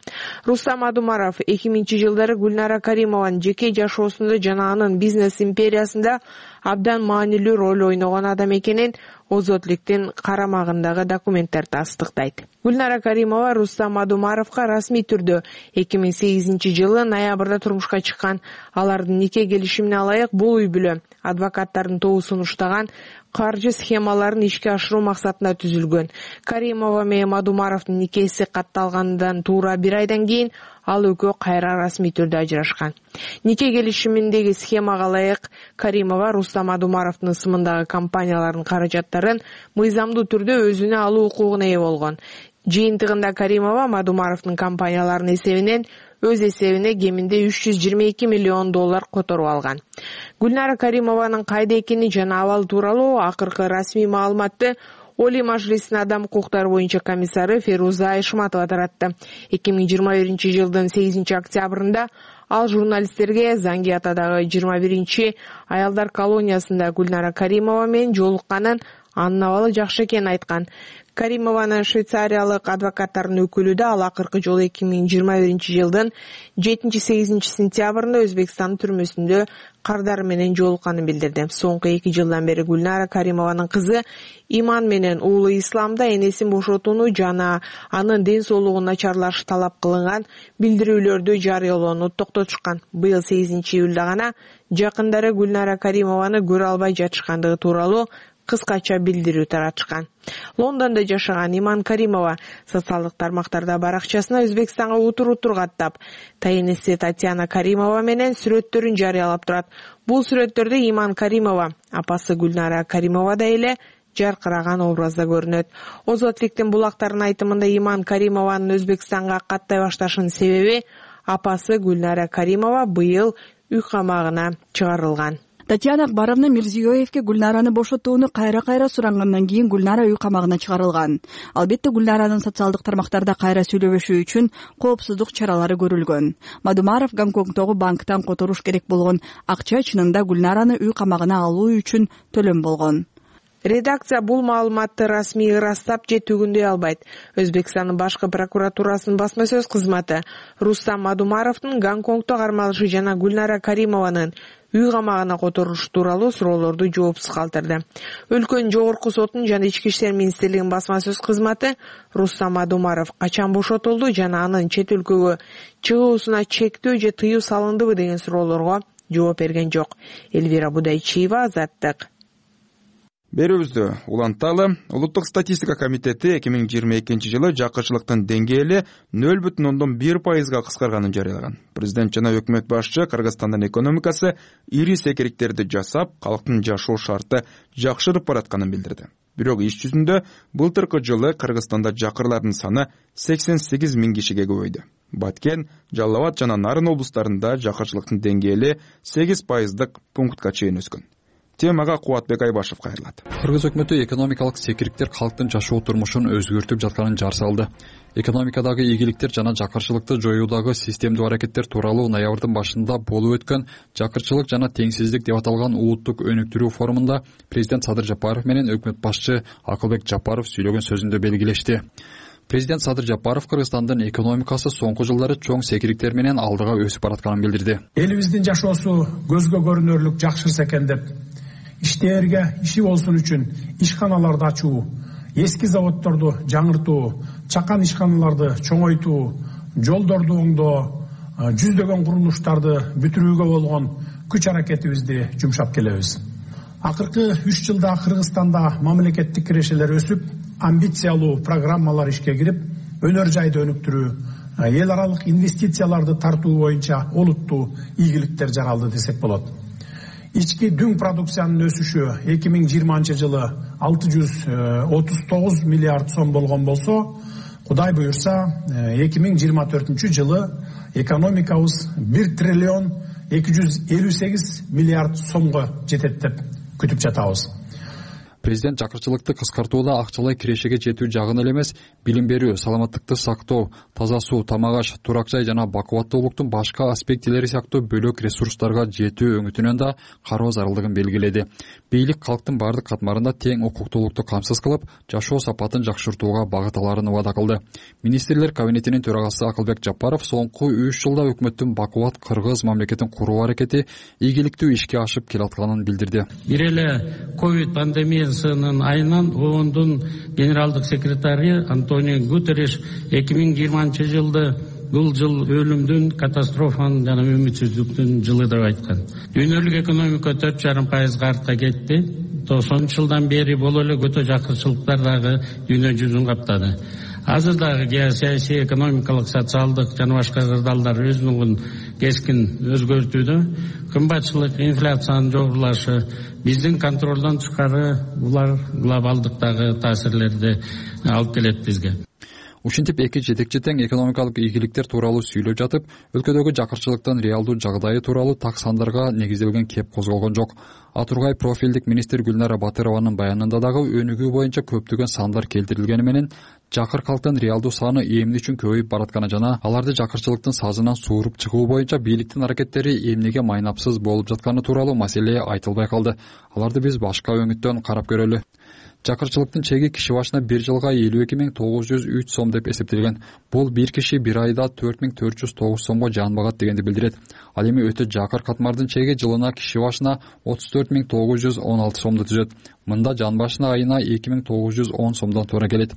[SPEAKER 12] Рустам Мадумаров 2000-жылдары Гүлнара Каримованын жеке жашоосунда жана анын бизнес империясында абдан маанилүү роль ойногон адам экенин Озотлуктун карамагындагы документтер тастыктайт. Гүлнара Каримова Рустам Мадумаровго расмий түрдө 2008-жылы ноябрда турмушка чыккан. Алардын нике келишимине ылайык бул үй бүлө адвокаттардын тобу сунуштаган каржы схемаларын ишке ашыруу максатында түзүлгөн. Каримова менен Мадумаровдун никеси катталгандан туура 1 айдан кийин ал экөө кайра расмий түрдө ажырашкан. Нике келишиминдеги схемага ылайык Каримова Рустам Мадумаровдун ысымындагы компаниялардын каражаттарын мыйзамдуу түрдө өзүнө алуу укугуна ээ болгон. Жыйынтыгында Каримова Мадумаровдун компанияларынын эсебинен өз эсебине кеминде $322 миллион которуп алган. Гүлнара Каримованын кайда экени жана абалы тууралуу акыркы расмий маалыматты Олий Мажлисинин адам укуктары боюнча комиссары Феруза Айшматова таратты. 2021-жылдын 8-октябрында ал журналисттерге Зангиатадагы 21 аялдар колониясында Гүлнара Каримова менен жолукканын, анын абалы жакшы экенин айткан. Каримованын швейцариялык адвокаттардын өкүлү да ал акыркы жолу 2021-жылдын 7-8 сентябрында Өзбекстан түрмөсүндө кардары менен жолукканын билдирди. Соңку 2 жылдан бери Гүлнара Каримованын кызы Иман менен уулу Исламда энесин бошотууну жана анын ден соолугу начарлашы талап кылынган билдирүүлөрдү жарыялоону токтотушкан. Быйыл 8-июлда гана жакындары Гүлнара Каримованы көрө албай жатышкандыгы тууралуу кыскача билдирүү таратышкан. Лондондо жашаган Иман Каримова социалдык тармактарда баракчасына Өзбекстанга утур каттап, тайенеси Татьяна Каримова менен сүрөттөрүн жарыялап турат. Бул сүрөттөрдө Иман Каримова, апасы Гүлнара Каримова да эле жаркыраган образда көрүнөт. Озотлуктун булактарынын айтымында Иман Каримованын Өзбекстанга каттай башташынын себеби апасы Гүлнара Каримова быйыл үй камагына чыгарылган.
[SPEAKER 5] Татьяна Акбаровна Мирзиёевке Гүлнараны бошотууну кайра сурангандан кийин Гүлнара үй камагына чыгарылган. Албетте Гүлнаранын социалдык тармактарда кайра сүйлөбөшү үчүн коопсуздук чаралары көрүлгөн. Мадумаров Гонконгдогу банктан которуш керек болгон акча чынында Гүлнараны үй камагына алуу үчүн төлөм болгон.
[SPEAKER 12] Редакция бул маалыматты расмий ырастап же түгүндөй албайт. Өзбекстандын башкы прокуратурасынын басма сөз кызматы Рустам Мадумаровдун Гонконгдо кармалышы жана Гүлнара Каримованын үй камагына которушу тууралуу суроолорду жоопсуз калтырды. Өлкөнүн жогорку сотунун жана Ички иштер министрлигинин басма сөз кызматы Рустам Мадумаров качан бошотулду жана анын чет өлкөгө чыгуусуна чектөө же тыюу салындыбы деген суроолорго жооп берген жок. Элвира Будайчиева, Азаттык.
[SPEAKER 2] Берүүбүздү уланталы. Улуттук статистика комитети 2022-жылы жакырчылыктын деңгээли 0,1%га кыскарганын жарыялаган. Президент жана өкмөт башчы Кыргызстандын экономикасы ири секириктерди жасап, калктын жашоо шарты жакшырып баратканын билдирди. Бирок иш жүзүндө былтыркы жылы Кыргызстанда жакырлардын саны 88 000 кишиге көбөйдү. Баткен, Жалал Абад жана Нарын облустарында жакырчылыктын деңгээли 8% пунктка чейин өскөн. Темага Кубатбек Айбашев кайрылат.
[SPEAKER 15] Кыргыз өкмөтү экономикалык секириктер калктын жашоо турмушун өзгөртүп жатканын жар салды. Экономикадагы ийгиликтер жана жакырчылыкты жоюудагы системдүү аракеттер тууралуу ноябрдын башында болуп өткөн жакырчылык жана теңсиздик деп аталган улуттук өнүктүрүү форумунда президент Садыр Жапаров менен өкмөт башчы Акылбек Жапаров сүйлөгөн сөзүндө белгилешти. Президент Садыр Жапаров Кыргызстандын экономикасы соңку жылдары чоң секириктер менен алдыга өсүп баратканын билдирди.
[SPEAKER 16] Элибиздин жашоосу көзгө көрүнөрлүк жакшырса экен деп иштерге иши болсун үчүн ишканаларды ачуу, эски заводдорду жаңыртуу, чакан ишканаларды чоңойтуу, жолдорду оңдоо, жүздөгөн курулуштарды бүтүрүүгө болгон күч аракетибизди жумшап келебиз. Акыркы 3 жылда Кыргызстанда мамлекеттик кирешелер өсүп, амбициялуу программалар ишке кирип, өнөр жайды өнүктүрүү, эл аралык инвестицияларды тартуу боюнча олуттуу ийгиликтер жаралды десек болот. Ички дүң продукциянын өсүшү 2020 жылы 639 миллиард сом болгон болсо, Кудай буюрса 2024 жылы экономикабыз 1 триллион 258 миллиард сомго жетет деп күтүп жатабыз.
[SPEAKER 15] Президент жакырчылыкты кыскартууда акчалай кирешеге жетүү жагын эле эмес, билим берүү, саламаттыкты сактоо, таза суу, тамак аш, турак жай жана бакубаттуулуктун башка аспектилери сыяктуу бөлөк ресурстарга жетүү өңүтүнөн да кароо зарылдыгын белгиледи. Бийлик калктын бардык катмарында тең укуктуулукту камсыз кылып, жашоо сапатын жакшыртууга багыт аларын убада кылды. Министрлер кабинетинин төрагасы Акылбек Жапаров соңку 3 жылда өкмөттүн бакубат кыргыз мамлекетин куруу аракети ийгиликтүү ишке ашып келатканын билдирди.
[SPEAKER 17] Бир эле ковид пандемиясынын айынан ООНдун генералдык секретары Антонио Гутерриш 2020 жылды бул жыл өлүмдүн, катастрофанын жана үмүтсүздүктүн жылы деп айткан. Дүйнөлүк экономика 4,5% артка кетти. 90 жылдан бери боло эле көтө жакырчылыктар дагы дүйнө жүзүн каптады. Азыр дагы геосаясий, экономикалык, социалдык жана башка кырдаалдар өзүнүн кескин өзгөртүүдө. Кымбатчылык, инфляциянын жогорулашы, биздин контролдон тышкары булар глобалдыктагы таасирлерди алып келет бизге.
[SPEAKER 15] Ушинтип эки жетекчи тең экономикалык ийгиликтер тууралуу сүйлөп жатып, өлкөдөгү жакырчылыктын реалдуу жагдайы тууралуу так сандарга негизделген кеп козголгон жок. Атургай профилдик министр Гүлнара Батырованын баянында дагы өнүгүү боюнча көптөгөн сандар келтирилгени менен, жакыр калктын реалдуу саны эмне үчүн көбөйүп баратканы жана аларды жакырчылыктын сазынан сууруп чыгуу боюнча бийликтин аракеттери эмнеге майнапсыз болуп жатканы тууралуу маселе айтылбай калды. Аларды биз башка өңүттөн карап көрөлү. Жакырчылыктын чеги киши башына 1 жылга 52.903 сом деп эсептелген. Бул бир киши бир айда 4.409 сомго жан багат дегенди билдирет. Ал эми өтө жакыр катмардын чеги жылына киши башына 34.916 сомду түзөт. Мында жан башына айына 2.910 сомдон туура келет.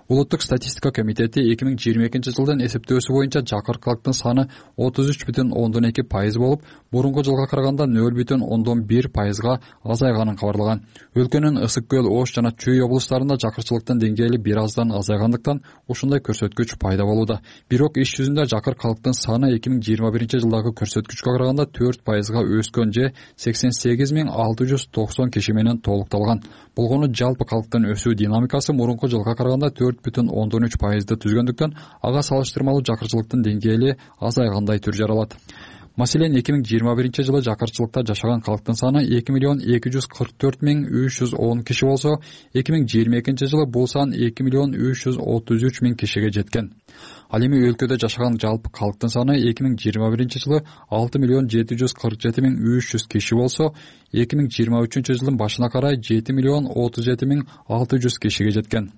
[SPEAKER 15] Улуттук статистика комитети 2022 жылдын эсептөөсү боюнча жакыр калктын саны 33.2% болуп, мурунку жылга караганда 0.1%га азайганын кабарлаган. Өлкөнүн Ысык көл, Ош жана Чүй облустарында жакырчылыктын деңгээли бир аздан азайгандыктан ушундай көрсөткүч пайда болууда. Бирок иш жүзүндө жакыр калктын саны 2021 жылдагы көрсөткүчкө караганда 4%га өскөн же 88.690 киши менен толукталган. Болгону жалпы калктын өсүү динамикасы мурунку жылга караганда 4.13%ды түзгөндүктөн ага салыштырмалуу жакырчылыктын деңгээли азайгандай түр жаралат. Маселен, 2021 жылы жакырчылыкта жашаган калктын саны 2.244.310 киши болсо, 2022 жылы бул сан 2.333.000 кишиге жеткен. Ал эми өлкөдө жашаган жалпы калктын саны 2021 жылы 6.747.300 киши болсо, 2023 жылдын башына карай 7.037.600 кишиге жеткен.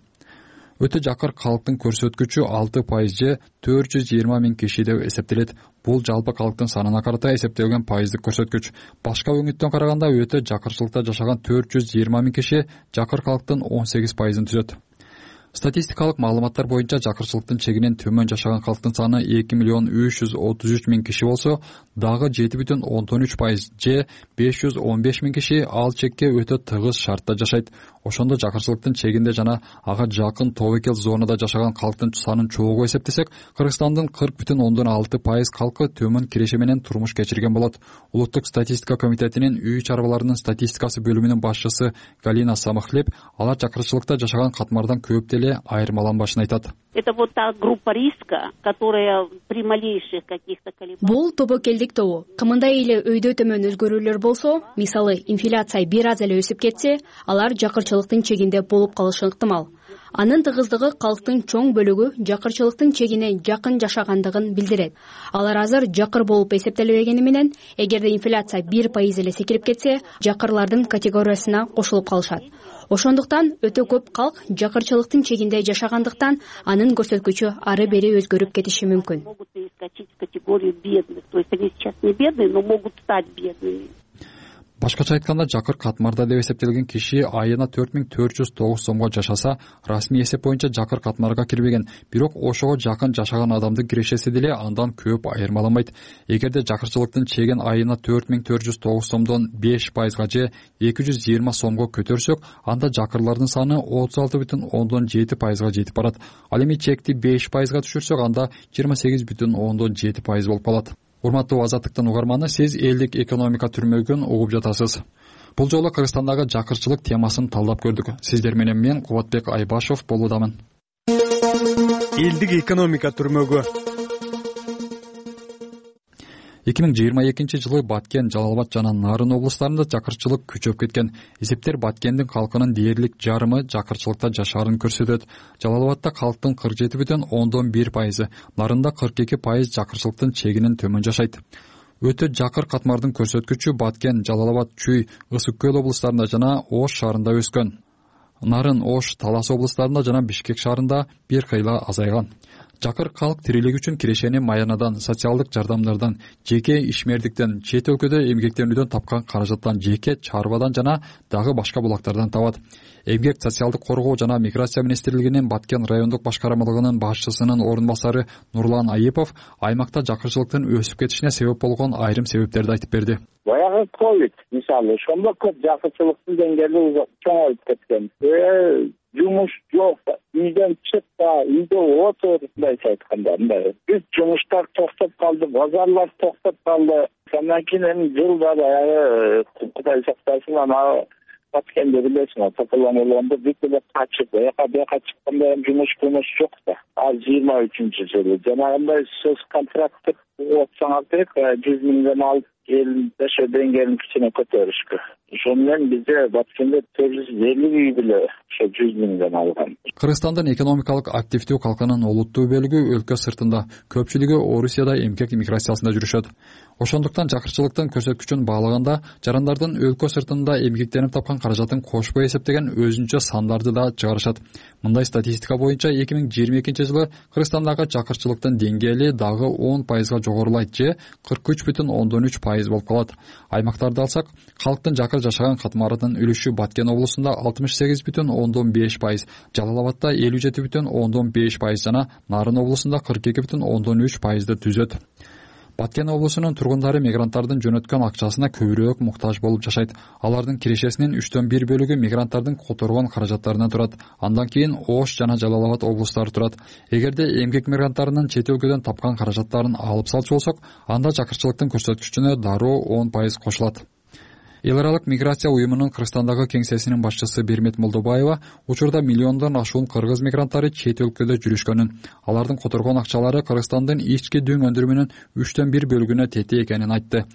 [SPEAKER 15] Өтө жакыр калктын көрсөткүчү 6% же 420.000 киши деп эсептелет. Бул жалпы калктын санына карата эсептелген пайыздык көрсөткүч. Башка өңүттөн караганда өтө жакырчылыкта жашаган 420.000 киши жакыр калктын 18%ын түзөт. Статистикалык маалыматтар боюнча жакырчылыктын чегинен төмөн жашаган калктын саны 2.333.000 киши болсо, дагы 7.13% же 515.000 киши ал чекке өтө тыгыз шартта жашайт. Ошондо жакырчылыктын чегинде жана ага жакын тобокел зонада жашаган калктын санын чогуу эсептесек, Кыргызстандын 40.6% калкы төмөн киреше менен турмуш кечирген болот. Улуттук статистика комитетинин үй чарбаларынын статистикасы бөлүмүнүн башчысы Галина Самахлеб алар жакырчылыкта жашаган катмардан көп деле айырмаланбашын айтат.
[SPEAKER 18] Это вот та группа риска, которая при малейших каких-то колебаниях.
[SPEAKER 19] Бул тобокелдик тобу. Кымындай эле өйдө төмөн өзгөрүүлөр болсо, мисалы инфляция бир аз эле өсүп кетсе, алар жакырчылыктын чегинде болуп калышы ыктымал. Анын тыгыздыгы калктын чоң бөлүгү жакырчылыктын чегине жакын жашагандыгын билдирет. Алар азыр жакыр болуп эсептелбегени менен, эгерде инфляция 1% эле секирип кетсе, жакырлардын категориясына кошулуп калышат. Ошондуктан өтө көп калк жакырчылыктын чегинде жашагандыктан анын көрсөткүчү ары бери өзгөрүп кетиши мүмкүн.
[SPEAKER 15] Башкача айтканда, Жакыр катмарда деп эсептелген киши айына 4409 сомго жашаса, расмий эсеп боюнча Жакыр катмарга кирбеген, бирок ошого жакын жашаган адамдын кирешеси деле андан көп айырмаланбайт. Эгерде жакырчылыктын чегин айына 4409 сомдон 5%га же 220 сомго көтөрсөк, анда жакырлардын саны 36,7%га жетип барат. Ал эми чекти 5%га түшүрсөк, анда 28,7% болуп калат. Урматтуу Азаттыктын угарманы, сиз элдик экономика түрмөгүн угуп жатасыз. Бул жолу Кыргызстандагы жакырчылык темасын талдап көрдүк. Сиздер менен мен Кубатбек Айбашев болуудамын.
[SPEAKER 20] Элдик экономика түрмөгү.
[SPEAKER 15] 2022 жылы Баткен, Жалал-Абад жана Нарын облустарында жакырчылык күчөп кеткен. Эсептер Баткендин калкынын дээрлик жарымы жакырчылыкта жашаарын көрсөтөт. Жалал-Абадта калктын 47,1%, Нарында 42% жакырчылыктын чегинен төмөн жашайт. Өтө жакыр катмардын көрсөткүчү Баткен, Жалал-Абад, Чүй, Ысык Көл облустарында жана Ош шаарында өскөн. Нарын, Ош, Талас облустарында жана Бишкек шаарында бир кыйла азайган. Жакыр калк тирилик үчүн кирешени маянадан, социалдык жардамдардан, жеке ишмердиктен, чет өлкөдө эмгектенүүдөн тапкан каражаттан, жеке чарбадан жана дагы башка булактардан табат. Эмгек, социалдык коргоо жана миграция министрлигинин Баткен райондук башкармалыгынын башчысынын орун басары Нурлан Айыпов аймакта жакырчылыктын өсүп кетишине себеп болгон айрым себептерди айтып берди.
[SPEAKER 4] Баягы ковид мисалы ошондо көп жакырчылыктын деңгээли чоңоюп кеткен. Жумуш жок, үйдөн чыкпа, үйдө отур, мындайча айтканда, мындай. Бүт жумуштар токтоп калды, базарлар токтоп калды. Андан кийин эми жылда баягы Кудай сактасын, ана Баткенде билесиң, тополонолондо бүт эле качып, бияка чыкканда эми жумуш жок да. Ал 23-жылы жанагындай сөз контракттык отсаңар керек, 100 миңден алып жашоо деңгээлин кичине көтөрүшкө. Ошон менен бизде Баткенде 450 үй биле ошо 100 миңден алган.
[SPEAKER 15] Кыргызстандын экономикалык активдүү калкынын олуттуу бөлүгү өлкө сыртында, көпчүлүгү Орусияда эмгек миграциясында жүрүшөт. Ошондуктан жакырчылыктын көрсөткүчүн баалаганда, жарандардын өлкө сыртында эмгектенип тапкан каражатын кошпой эсептеген өзүнчө сандарды да чыгарышат. Мындай статистика боюнча 2022 жылы Кыргызстандагы жакырчылыктын деңгээли дагы 10%га жогорулайт же 43,3% болуп калат. Аймактарды алсак, калктын жакыр жашаган катмарынын үлүшү Баткен облусунда 68,5%, Жалал-Абадта 57,5% жана Нарын облусунда 42,3%ды түзөт. Баткен облусунун тургундары мигранттардын жөнөткөн акчасына көбүрөөк муктаж болуп жашайт. Алардын кирешесинин 3/4 бөлүгү мигранттардын которгон каражаттарынан турат. Андан кийин Ош жана Жалал-Абад облустары турат. Эгерде эмгек мигранттарынын чет өлкөдөн тапкан каражаттарын алып салчу болсок, анда жакырчылыктын көрсөткүчүнө дароо 10% кошулат. Эл аралык миграция уюмунун Кыргызстандагы кеңсесинин башчысы Бермет Молдобаева учурда миллиондон ашуун кыргыз мигранттары чет өлкөдө жүрүшкөнүн, алардын которгон акчалары Кыргызстандын ички дүң өндүрүмүнүн 3/4 бөлүгүнө тете экенин айтты.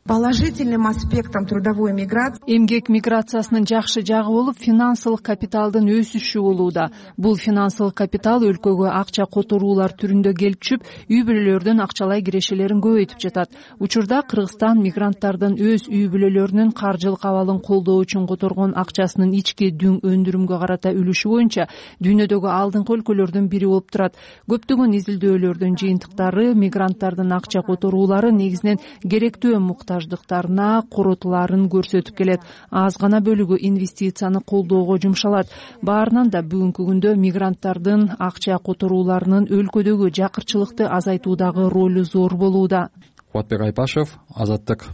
[SPEAKER 21] Положительным аспектом трудовой миграции
[SPEAKER 10] эмгек миграциясынын жакшы жагы болуп, финансылык капиталдын өсүшү болууда. Бул финансылык капитал өлкөгө акча которуулар түрүндө келип түшүп, үй бүлөлөрдүн акчалай кирешелерин көбөйтүп жатат. Учурда Кыргызстан мигранттардын өз үй бүлөлөрүнүн каржылык абалын колдоо үчүн которгон акчасынын ички дүң өндүрүмгө карата үлүшү боюнча дүйнөдөгү алдыңкы өлкөлөрдүн бири болуп турат. Көптөгөн изилдөөлөрдүн жыйынтыктары мигранттардын акча которуулары негизинен керектүү муктаждыктарына коротулаарын көрсөтүп келет. Аз гана бөлүгү инвестицияны колдоого жумшалат. Баарынан да бүгүнкү күндө мигранттардын акча которууларынын өлкөдөгү жакырчылыкты азайтуудагы ролу зор болууда.
[SPEAKER 15] Кубатбек Айбашев, Азаттык.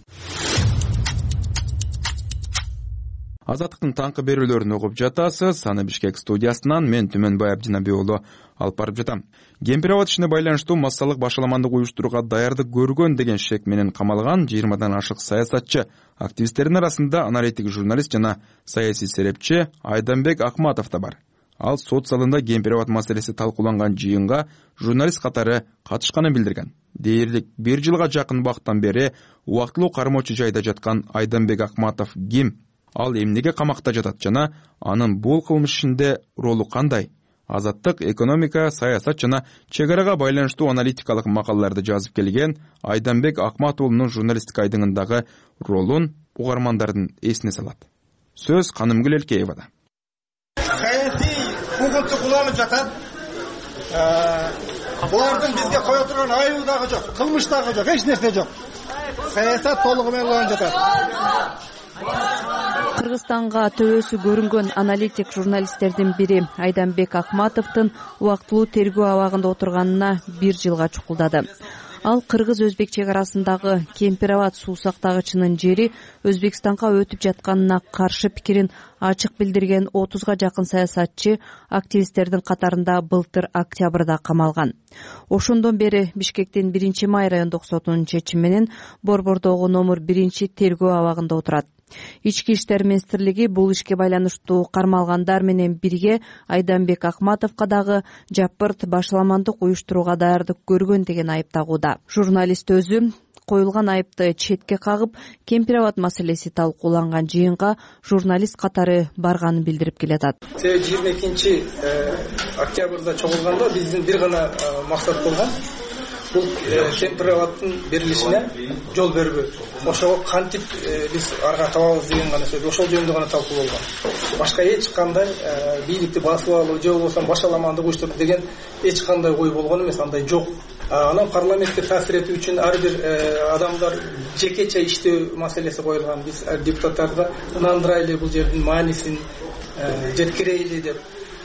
[SPEAKER 2] Азаттыктын таңкы берүүлөрүн угуп жатасыз. Аны Бишкек студиясынан мен Түмөнбай Абдинабек уулу алып барып жатам. Кемпир-абад ишине байланыштуу массалык башаламандык уюштурууга даярдык көргөн деген шек менен камалган 20дан ашык саясатчы, активисттердин арасында аналитик журналист жана саясий серепчи Айданбек Акматов да бар. Ал сот залында кемпир-абад маселеси талкууланган жыйынга журналист катары катышканын билдирген. Дээрлик 1 жылга жакын убакыттан бери убактылуу кармоочу жайда жаткан Айданбек Акматов ким? Ал эмнеге камакта жатат жана анын бул кылмыш ишинде ролу кандай? Азаттык, экономика, саясат жана чек арага байланыштуу аналитикалык макалаларды жазып келген Айданбек Акматовунун журналистик айдыңындагы ролун угармандардын эсине салат. Сөз Канымгүл Элкеевада.
[SPEAKER 22] Саясий куугунтук уланып жатат. Булардын бизге кое турган айыбы дагы жок, кылмыш дагы жок, эч нерсе жок. Саясат толугу менен уланып жатат.
[SPEAKER 6] Кыргызстанга төбөсү көрүнгөн аналитик журналисттердин бири Айданбек Акматовдун убактылуу тергөө абагында отурганына 1 жылга чукулдады. Ал кыргыз-өзбек чек арасындагы Кемпир-Абад суу сактагычынын жери Өзбекстанга өтүп жатканына каршы пикирин ачык билдирген 30га жакын саясатчы активисттердин катарында былтыр октябрда камалган. Ошондон бери Бишкектин 1-Май райондук сотунун чечими менен Борбордогу номер 1 тергөө абагында отурат. Ички иштер министрлиги бул ишке байланыштуу кармалгандар менен бирге Айданбек Акматовго дагы жапырт башаламандык уюштурууга даярдык көргөн деген айып тагууда. Журналист өзү коюлган айыпты четке кагып, Кемпир-Абад маселеси талкууланган жыйынга журналист катары барганын билдирип келатат.
[SPEAKER 7] 22 октябрда чогулганда биздин бир гана максат болгон. Бул Кемпир-Абадтын берилишине жол бербөө. Ошого кантип биз арга табабыз деген гана сөз. Ошол жөнүндө гана талкуу болгон. Башка эч кандай бийликти басып алуу же болбосо башаламандык уюштуруу деген эч кандай ой болгон эмес, андай жок. Анан парламентке таасир этүү үчүн ар бир адамдар жекече иштөө маселеси коюлган. Биз депутаттарды ынандырайлы, бул жердин маанисин жеткирейли деп.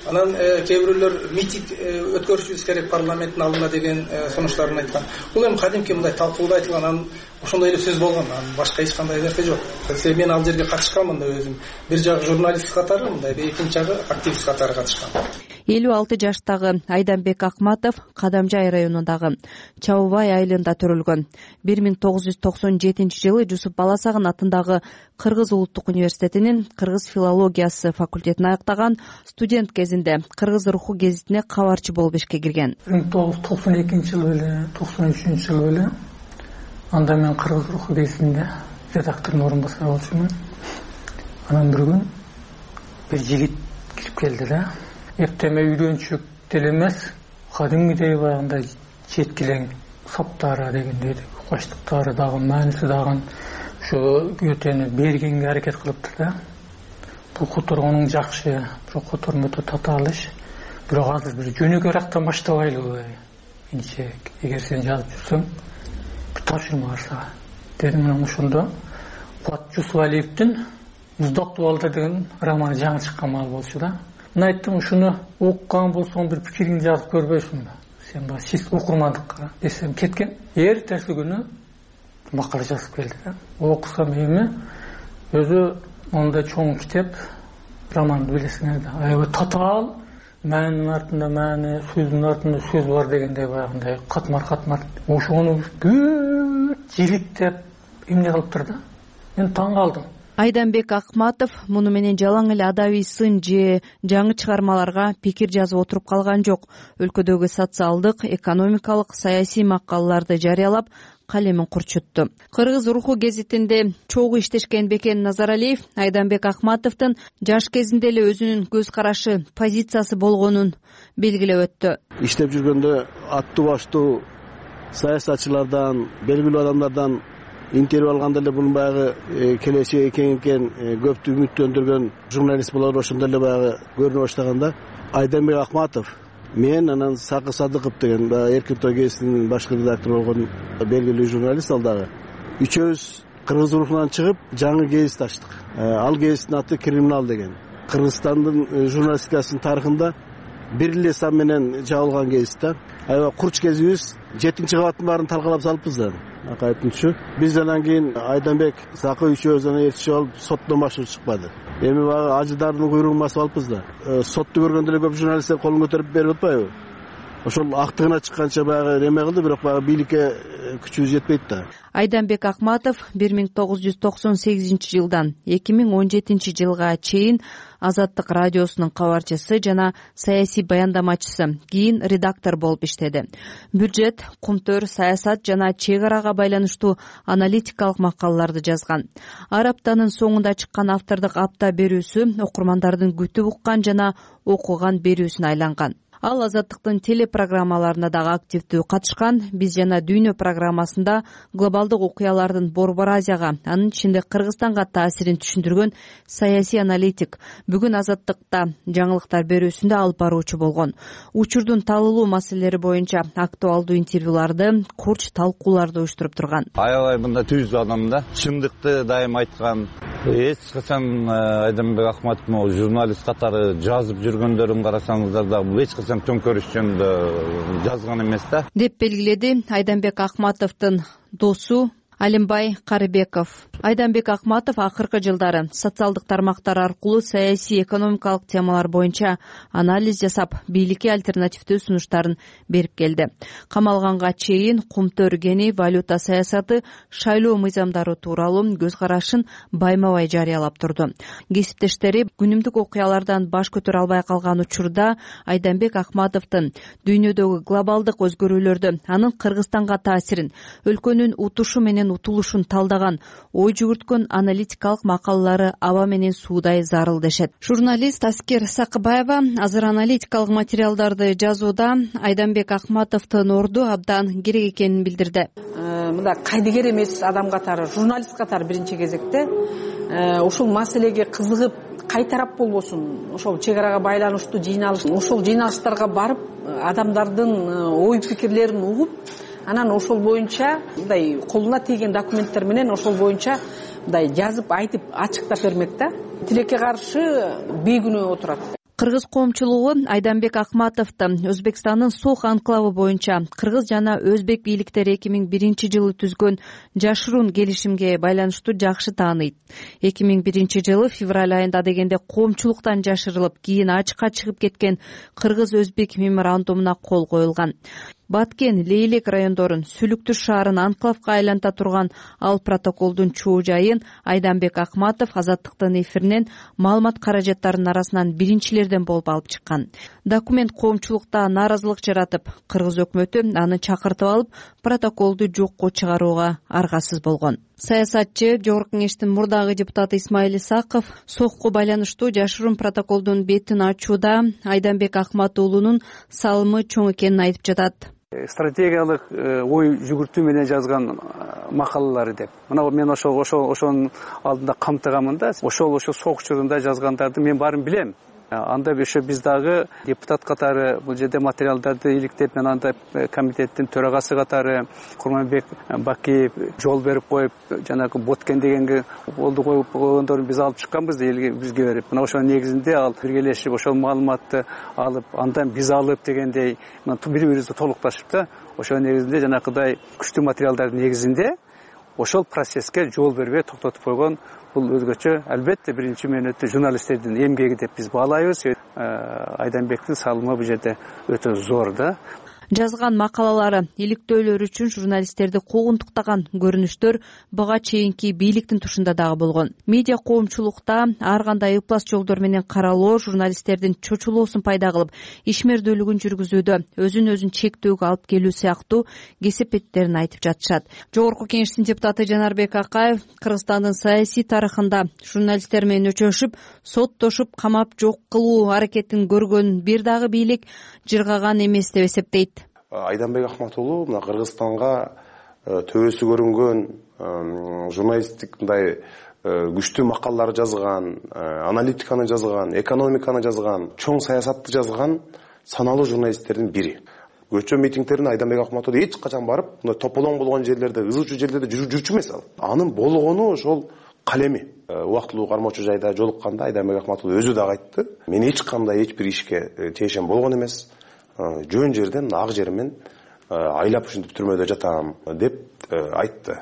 [SPEAKER 7] Анан кээ бирөөлөр митинг өткөрүшүбүз керек парламенттин алдында деген сунуштарын айткан. Бул эми кадимки мындай талкууда айтылган, анан ошондой эле сөз болгон. Анан башка эч кандай нерсе жок. Мен ал жерге катышканмын да өзүм. Бир жагы журналист катары, мындай экинчи жагы активист катары катышкан.
[SPEAKER 6] 56 жаштагы Айданбек Акматов Кадамжай районундагы Чабыбай айылында төрөлгөн. 1997 жылы Жусуп Баласагын атындагы Кыргыз улуттук университетинин кыргыз филологиясы факультетин аяктаган. Студент кезинде Кыргыз руху гезитине кабарчы болуп ишке кирген.
[SPEAKER 23] 1992 эле 93 эле анда мен Кыргыз руху гезитинде редактордун орун басары болчумун. Анан бир күн бир жигит кирип келди да. Эптеме үйрөнчүк деле эмес, кадимгидей баягындай жеткилең саптары дегендей укаштыктары дагы мааниси дагы ошо көтөнү бергенге аракет кылыптыр да. Бул которгонуң жакшы, бирок котормо өтө татаал иш. Бирок азыр бир жөнөкөй рактан баштабайлыбы? Энче эгер сен жазып жүрсөң, бир тапшырма бар сага. Дедим, анан ошондо Куат Жусупалиевдин Муздактуу балдар деген романы жаңы чыккан маал болчу да. Мен айттым, ушуну окуган болсоң бир пикириңди жазып көрбөйсүңбү? Сен баа чист окурмандыкка десем кеткен. Эртеси күнү макала жазып келди да. Окусам эми өзү мондай чоң китеп, романды билесиңер да. Аябай татаал, маанинин артында маани, сөздүн артында сөз бар дегендей баягындай катмар. Ошону бүт жиликтеп эмне кылыптыр да. Мен таң калдым.
[SPEAKER 6] Айданбек Акматов муну менен жалаң эле адабий сын же жаңы чыгармаларга пикир жазып отуруп калган жок. Өлкөдөгү социалдык, экономикалык, саясий макалаларды жарыялап, калемин курчутту. Кыргыз руху гезитинде чогуу иштешкен Бекен Назаралиев Айданбек Акматовдун жаш кезинде эле өзүнүн көз карашы, позициясы болгонун белгилеп өттү.
[SPEAKER 24] Иштеп жүргөндө аттуу баштуу саясатчылардан, белгилүү адамдардан интервью алганда эле бунун баягы келечеги кең экен, көптү үмүттөндүргөн журналист болор, ошондо эле баягы көрүнө баштаганда Айданбек Акматов, мен анан Сакы Садыков деген Эркин Той гезитинин башкы редактору болгон белгилүү журналист, ал дагы үчөөбүз Кыргыз рухунан чыгып жаңы гезит ачтык. Ал гезиттин аты Криминал деген. Кыргызстандын журналистикасынын тарыхында бир эле сан менен жабылган гезит да. Аябай курч кезибиз 7-кабаттын баарын талкалап салыппыз да. Акайтымчы. Биз анан кийин Айданбек, Сакы үчөөбүз анан ээрчишип алып соттон башка чыкпады. Эми баягы ажыдардын куйругун басып алыппыз да. Сотту көргөндө эле көп журналисттер колун көтөрүп берип атпайбы? Ошол актыгына чыкканча баягы эме кылды, бирок баягы бийликке күчүбүз жетпейт да.
[SPEAKER 6] Айданбек Акматов 1998 жылдан 2017 жылга чейин Азаттык радиосунун кабарчысы жана саясий баяндамачысы, кийин редактор болуп иштеди. Бюджет, кумтөр, саясат жана чек арага байланыштуу аналитикалык макалаларды жазган. Ар аптанын соңунда чыккан автордук апта берүүсү окурмандардын күтүп уккан жана окуган берүүсүнө айланган. Ал Азаттыктын телепрограммаларына дагы активдүү катышкан. Биз жана Дүйнө программасында глобалдык окуялардын Борбор Азияга, анын ичинде Кыргызстанга таасирин түшүндүргөн саясий аналитик. Бүгүн Азаттыкта жаңылыктар берүүсүндө алып баруучу болгон. Учурдун талуулуу маселелери боюнча актуалдуу интервьюларды, курч талкууларды уюштуруп турган.
[SPEAKER 25] Аябай мындай түз адам да, чындыкты дайым айткан,
[SPEAKER 3] Эч качан Айданбек Акматов могу журналист катары жазып жүргөндөрүн карасаңыздар дагы эч качан төңкөрүш жөнүндө жазган эмес да,
[SPEAKER 6] деп белгиледи Айданбек Акматовдун досу Алимбай Карыбеков. Айданбек Акматов акыркы жылдары социалдык тармактар аркылуу саясий экономикалык темалар боюнча анализ жасап, бийликке альтернативдүү сунуштарын берип келди. Камалганга чейин кумтөр гени валюта саясаты, шайлоо мыйзамдары тууралуу көз карашын байма-бай жарыялап турду. Кесиптештери күнүмдүк окуялардан баш көтөрө албай калган учурда Айданбек Акматовдун дүйнөдөгү глобалдык өзгөрүүлөрдү, анын Кыргызстанга таасирин, өлкөнүн утушу менен утулушун талдаган, ой жүгүрткөн аналитикалык макалалары аба менен суудай зарыл дешет. Журналист Аскер Сакыбаева азыр аналитикалык материалдарды жазууда Айданбек Акматовдун орду абдан керек экенин билдирди.
[SPEAKER 8] Мында кайдыгер эмес адам катары, журналист катары биринчи кезекте ушул маселеге кызыгып, кай тарап болбосун, ошол чек арага байланыштуу жыйналыш, ошол жыйналыштарга барып, адамдардын ой пикирлерин угуп, анан ошол боюнча мындай колуна тийген документтер менен ошол боюнча мындай жазып, айтып, ачыктап бермек да. Тилекке каршы бейкүнөө отурат.
[SPEAKER 6] Кыргыз коомчулугу Айданбек Акматовду Өзбекстандын Сох анклавы боюнча кыргыз жана өзбек бийликтери 2001-жылы түзгөн жашыруун келишимге байланыштуу жакшы тааныйт. 2001-жылы февраль айында дегенде коомчулуктан жашырылып, кийин ачыкка чыгып кеткен кыргыз-өзбек меморандумуна кол коюлган. Баткен, Лейлек райондорун, Сүлүктүр шаарын анклавка айланта турган ал протоколдун чоо жайын Айданбек Акматов Азаттыктын эфиринен маалымат каражаттарынын арасынан биринчилерден болуп алып чыккан. Документ коомчулукта нааразылык жаратып, кыргыз өкмөтү аны чакыртып алып, протоколду жокко чыгарууга аргасыз болгон. Саясатчы, Жогорку Кеңештин мурдагы депутаты Исмаил Исаков Сохко байланыштуу жашыруун протоколдун бетин ачууда Айданбек Акмат уулунун салымы чоң экенин айтып жатат.
[SPEAKER 9] Стратегиялык ой жүгүртүү менен жазган макалалары деп. Мына мен ошонун алдында камтыганмын да. Ошол Сох учурунда жазгандарды мен баарын билем. Анда ошо биз дагы депутат катары бул жерде материалдарды иликтеп, мен анда комитеттин төрагасы катары Курманбек Бакиев жол берип коюп, жанагы Боткен дегенге болду коюп койгондорун биз алып чыкканбыз бизге берип. Мына ошонун негизинде ал биргелешип ошол маалыматты алып, андан биз алып дегендей бири-бирибизди толукташып да, ошонун негизинде жанакыдай күчтүү материалдардын негизинде ошол процесске жол бербей токтотуп койгон. Бул өзгөчө албетте биринчи мөөнөттө журналисттердин эмгеги деп биз баалайбыз. Айданбектин салымы бул жерде өтө зор да.
[SPEAKER 6] Жазган макалалары, иликтөөлөр үчүн журналисттерди куугунтуктаган көрүнүштөр буга чейинки бийликтин тушунда дагы болгон. Медиа коомчулукта ар кандай ыплас жолдор менен каралоо журналисттердин чочулоосун пайда кылып, ишмердүүлүгүн жүргүзүүдө өзүн чектөөгө алып келүү сыяктуу кесепеттерин айтып жатышат. Жогорку Кеңештин депутаты Жанарбек Акаев Кыргызстандын саясий тарыхында журналисттер менен өчөшүп, соттошуп, камап жок кылуу аракетин көргөн бир дагы бийлик жыргаган эмес деп эсептейт.
[SPEAKER 11] Айданбек Акмат уулу мына Кыргызстанга төбөсү көрүнгөн журналисттик мындай күчтүү макалалар жазган, аналитиканы жазган, экономиканы жазган, чоң саясатты жазган саналуу журналисттердин бири. Көчө митингтерине Айданбек Акмат уулу эч качан барып, мындай тополоң болгон жерлерде, ызычуу жерлерде жүрчү эмес ал. Анын болгону ошол калеми. Убактылуу кармоочу жайда жолукканда Айданбек Акмат уулу өзү дагы айтты. Мен эч кандай эч бир ишке тиешем болгон эмес. Жөн жерден ак жермен айлап ушинтип түрмөдө жатам деп айтты.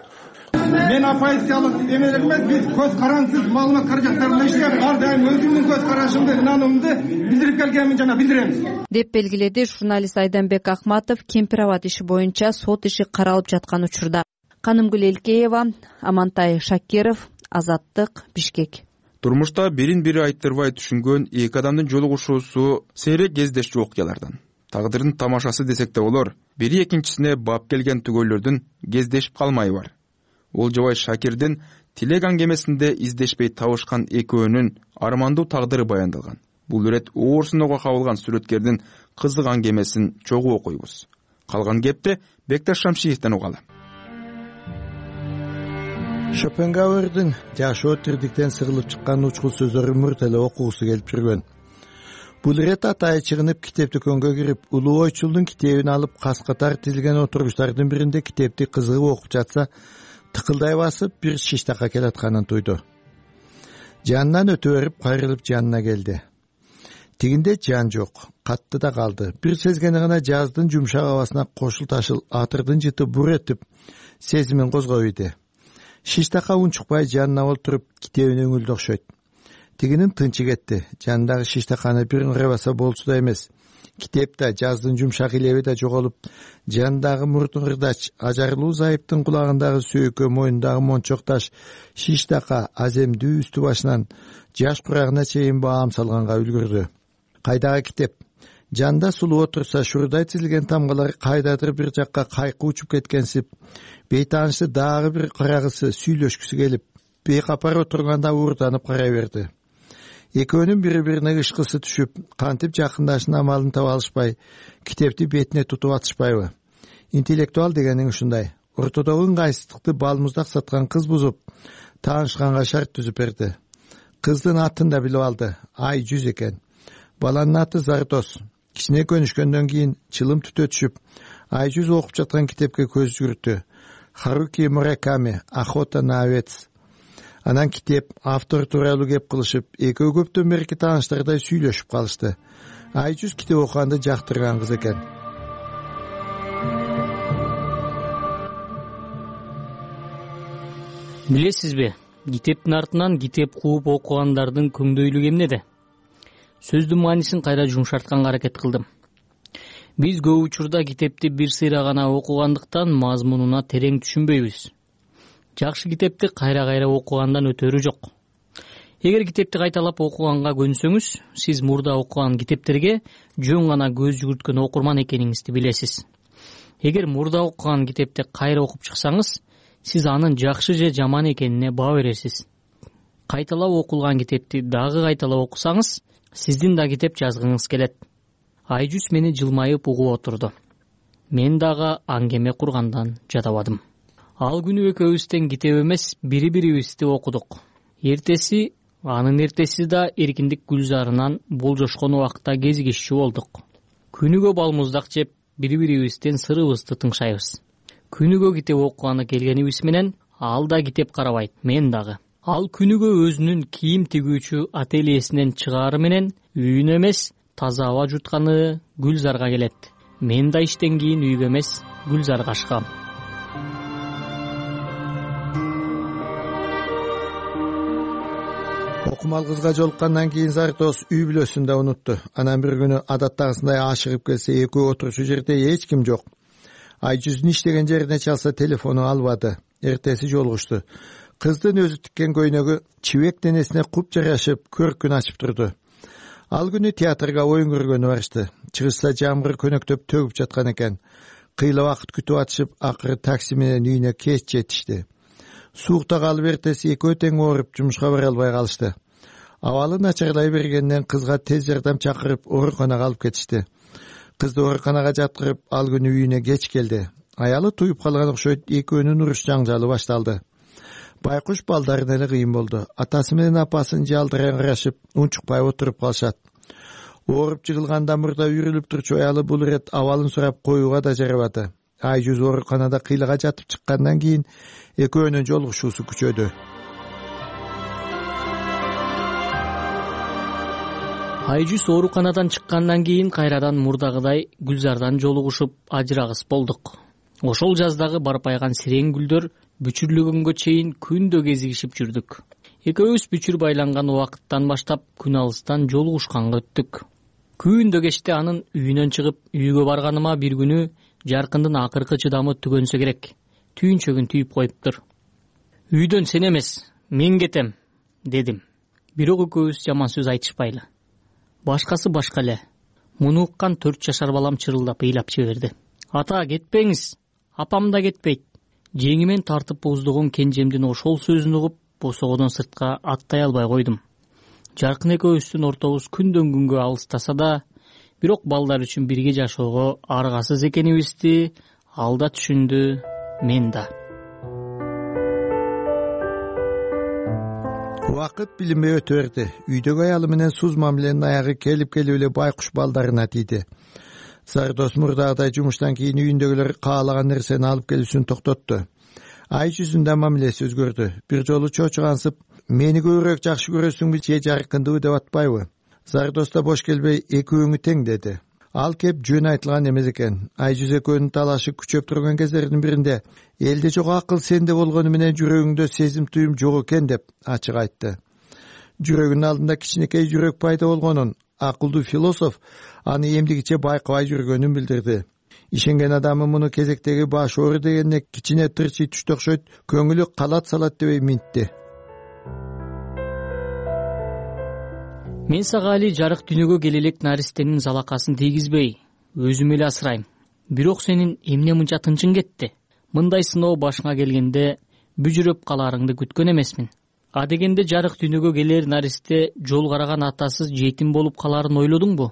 [SPEAKER 22] Мен оппозициялык эмелер эмес, биз көз карансыз маалымат каражаттарында иштеп, ар дайым өзүмдүн көз карашымды, инануумду билдирип келгенмин жана билдирем.
[SPEAKER 6] Деп белгиледи журналист Айданбек Акматов Кемпир Абад иши боюнча сот иши каралып жаткан учурда. Канымгүл Элкеева, Амантай Шакиров, Азаттык, Бишкек.
[SPEAKER 2] Турмушта бирин-бири айттырбай түшүнгөн эки адамдын жолугушуусу сейрек кездешчү окуялардан. Тагдырдын тамашасы десек да болор. Бири экинчисине бап келген түгөйлөрдүн кездешип калмайы бар. Олжобай Шакирдин тилек аңгемесинде издешпей табышкан экөөнүн армандуу тагдыры баяндалган. Бул ирет оорсунууга кабылган сүрөткердин кызык аңгемесин чогуу окуйбуз. Калган кепти Бекташ Шамшиевден угалы.
[SPEAKER 25] Шопенгауэрдин жашоо тирдиктен сыгылып чыккан учкул сөздөрү мурт эле окугусу келип жүргөн. Бул ирет атайы чыгынып китеп дүкөнгө кирип, Улуу Ойчулдун китебин алып, кас-катар тизилген отургучтардын биринде китепти кызыгып окуп жатса, тыкылдай басып бир шиштакка келатканын туйду. Жанынан өтө берип кайрылып жанына келди. Тигинде жан жок, катты да калды. Бир сезгени гана жаздын жумшак абасына кошул ташыл атырдын жыты бур этип сезимин козгоп иди. Шиштакка унчукпай жанына олтуруп китебин өңүлдү окшойт. Тигинин тынчы кетти. Жанындагы шиштаканы бир ыңырабаса болчу да эмес. Китеп да, жаздын жумшак илеби да жоголуп, жандагы мурдун ырдач, ажарлуу зайыптын кулагындагы сөөкө, мойнундагы мончок таш, шиштака, аземдүү үстү башынан жаш курагына чейин баам салганга үлгүрдү. Кайдагы китеп? Жанда сулуу отурса, шурдай тизилген тамгалар кайдадыр бир жакка кайкы учуп кеткенсип, бейтаанышы дагы бир карагысы сүйлөшкүсү келип, бейкапар отурганда уурданып карай берди. Экөөнүн бири-бирине ышкысы түшүп, кантип жакындашын амалын таба алышпай, китепти бетине тутуп атышпайбы? Интеллектуал дегениң ушундай. Ортодогу ыңгайсыздыкты балмуздак саткан кыз бузуп, таанышканга шарт түзүп берди. Кыздын атын да билип алды. Айжүз экен. Баланын аты Зардос. Кичине көнүшкөндөн кийин чылым түтө түшүп, Айжүз окуп жаткан китепке көз жүгүрттү. Харуки Мураками, Охота на овец. Анан китеп, автор тууралуу кеп кылышып, экөө көптөн берки тааныштардай сүйлөшүп калышты. Айжүз китеп окуганды жактырган кыз экен.
[SPEAKER 1] Билесизби, китептин артынан китеп кууп окугандардын көңдөйлүгү эмнеде? Сөздүн маанисин кайра жумшартканга аракет кылдым. Биз көп учурда китепти бир сыйра гана окугандыктан мазмунуна терең түшүнбөйбүз. Жакшы китепти кайра-кайра окугандан өтөрү жок. Эгер китепти кайталап окуганга көнсөңүз, сиз мурда окуган китептерге жөн гана көз жүгүрткөн окурман экениңизди билесиз. Эгер мурда окуган китепти кайра окуп чыксаңыз, сиз анын жакшы же жаман экенине баа бересиз. Кайталап окулган китепти дагы кайталап окусаңыз, сиздин да китеп жазгыңыз келет. Айжүз мени жылмайып угуп отурду. Мен дагы аңгеме кургандан жадабадым. Ал күнү экөөбүздөн китеп эмес, бири-бирибизди окудук. Анын эртеси да эркиндик гүлзарынан болжошкон убакта кезигишчү болдук. Күнүгө балмуздак жеп, бири-бирибизден сырыбызды тыңшайбыз. Күнүгө китеп окуганы келгенибиз менен, ал да китеп карабайт, мен дагы. Ал күнүгө өзүнүн кийим тигүүчү ательесинен чыгаары менен, үйүнө эмес, таза аба жутканы Гүлзарга келет. Мен да иштен кийин үйгө эмес, Гүлзарга ашкам.
[SPEAKER 25] Окумал кызга жолуккандан кийин Зардос үй бүлөсүн да унутту. Анан бир күнү адаттагысындай ашыгып келсе, экөө отурчу жерде эч ким жок. Айжүздүн иштеген жерине чалса, телефону албады. Эртеси жолугушту. Кыздын өзү тиккен көйнөгү чибек денесине куп жарашып, көркүн ачып турду. Ал күнү театрга оюн көргөнү барышты. Чыгышса жамгыр көнөктөп төгүп жаткан экен. Кыйла убакыт күтүп атышып, акыры такси менен үйүнө кеч жетишти. Суукта калып эртеси экөө тең ооруп, жумушка бара албай калышты. Абалы начарлай бергенден кызга тез жардам чакырып, ооруканага алып кетишти. Кызды ооруканага жаткырып, ал күнү үйүнө кеч келди. Аялы туюп калган окшойт, экөөнүн уруш жаңжалы башталды. Байкуш балдарын эле кыйын болду. Атасы менен апасын жалдыран карашып, унчукпай отуруп калышат. Ооруп жыгылганда мурда үйрүлүп турчу аялы бул ирет абалын сурап коюуга да жарабады. Айжүз ооруканада кыйлага жатып чыккандан кийин экөөнүн жолугушуусу күчөдү.
[SPEAKER 1] Айжүз ооруканадан чыккандан кийин кайрадан мурдагыдай Гүлзардан жолугушуп, ажырагыс болдук. Ошол жаздагы барпайган сирең гүлдөр бүчүрлүгөнгө чейин күндө кезигишип жүрдүк. Экөөбүз бүчүр байланган убакыттан баштап күн алыстан жолугушканга өттүк. Күндө кечте анын үйүнөн чыгып, үйгө барганыма бир күнү жаркындын акыркы чыдамы түгөнсө керек. Түйүнчөгүн түйүп коюптур. Үйдөн сен эмес, мен кетем, дедим. Бирок экөөбүз жаман сөз айтышпайлы. Башкасы башка эле. Муну уккан 4 жашар балам чырылдап ыйлап жиберди. Ата, кетпеңиз. Апам да кетпейт. Жеңимен тартып боздогон кенжемдин ошол сөзүн угуп, босогодон сыртка аттай албай койдум. Жаркын экөөбүздүн ортобуз күндөн күнгө алыстаса да, бирок балдар үчүн бирге жашоого аргасыз экенибизди ал да түшүндү, мен да.
[SPEAKER 25] Убакыт билинбей өтө берди. Үйдөгү аялы менен суз мамиленин аягы келип эле байкуш балдарына тийди. Зардос мурдагыдай жумуштан кийин үйүндөгүлөр каалаган нерсени алып келүүсүн токтотту. ай жүзүндө мамилеси өзгөрдү. Бир жолу чочугансып, мени көбүрөөк жакшы көрөсүңбү же жаркындыбы деп атпайбы? Зардос да бош келбей, экөөңү тең деди. Ал кеп жөн айтылган эмес экен. Ай жүз экөөнүн талашы күчөп турган кездердин биринде элде жок акыл сенде болгону менен жүрөгүңдө сезим туюм жок экен деп ачык айтты. Жүрөгүнүн алдында кичинекей жүрөк пайда болгонун, акылдуу философ аны эмдигиче байкабай жүргөнүн билдирди. Ишенген адамы муну кезектеги баш оору дегенде кичине тырчый түштү окшойт, көңүлү калат салат дебей минтти.
[SPEAKER 1] Мен сага али жарык дүйнөгө келе элек наристенин залакасын тийгизбей, өзүм эле асырайм. Бирок сенин эмне мынча тынчың кетти? Мындай сыноо башыңа келгенде бүжүрөп каларыңды күткөн эмесмин. А дегенде жарык дүйнөгө келер наристе жол караган атасыз жетим болуп каларын ойлодуңбу?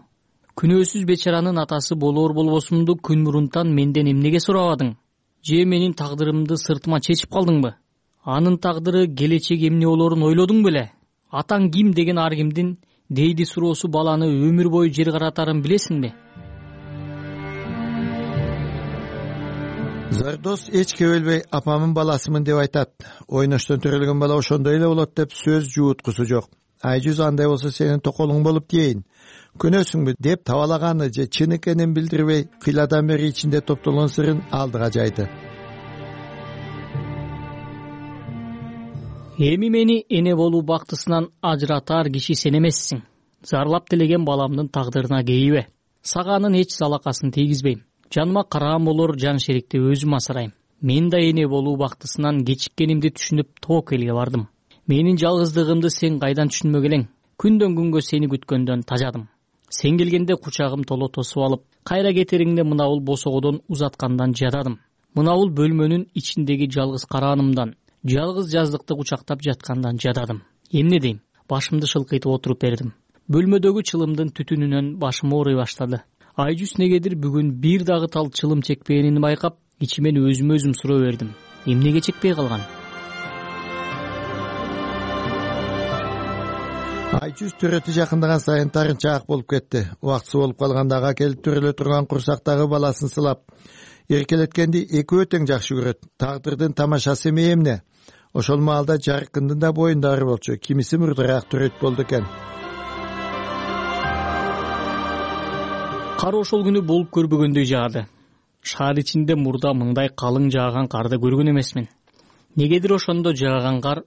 [SPEAKER 1] Күнөөсүз бечаранын атасы болоор болбосумду күн мурунтан менден эмнеге сурабадың? Же менин тагдырымды сыртыма чечип калдыңбы? Анын тагдыры, келечеги эмне болоорун ойлодуң беле? Атаң ким деген ар кимдин дейди суроосу баланы өмүр бою жер каратарын билесиңби?
[SPEAKER 25] Зардос эч кебелбей апамын баласымын деп айтат. Ойноштон төрөлгөн бала ошондой эле болот деп сөз жууткусу жок. Айжүз андай болсо сенин токолуң болуп дейин. Көнөсүңбү деп табалаганы же чын экенин билдирбей, кыйладан бери ичинде топтолгон сырын алдыга жайды.
[SPEAKER 1] Эми мени эне болуу бактысынан ажыратар киши сен эмессиң. Зарлап тилеген баламдын тагдырына кейбе. Сага анын эч залакасын тийгизбейм. Жаныма караан болор жан шерикти өзүм асырайм. Мен да эне болуу бактысынан кечиккенимди түшүнүп тоок элге бардым. Менин жалгыздыгымды сен кайдан түшүнмөк элең? Күндөн күнгө сени күткөндөн тажадым. Сен келгенде кучагым толо тосуп алып, кайра кетериңде мынабул босогодон узаткандан жададым. Мынабул бөлмөнүн ичиндеги жалгыз караанымдан, жалгыз жаздыкты кучактап жаткандан жададым. Эмне дейм? Башымды шылкыйтып отуруп бердим. Бөлмөдөгү чылымдын түтүнүнөн башым ооруй баштады. Айжүз негедир бүгүн бир дагы тал чылым чекпегенин байкап, ичимен өзүмө өзүм суроо бердим. Эмнеге чекпей калган?
[SPEAKER 25] Айжүз төрөтү жакындаган сайын тарынчаак болуп кетти. Убактысы болуп калганда ага келип төрөлө турган курсактагы баласын сылап, эркелеткенди экөө тең жакшы көрөт. Тагдырдын тамашасы эмне? Ошол маалда жаркындын да боюнда ары болчу. Кимиси мурдараак төрөт болду экен.
[SPEAKER 1] Кар ошол күнү болуп көрбөгөндөй жаады. Шаар ичинде мурда мындай калың жааган карды көргөн эмесмин. Негедир ошондо жааган кар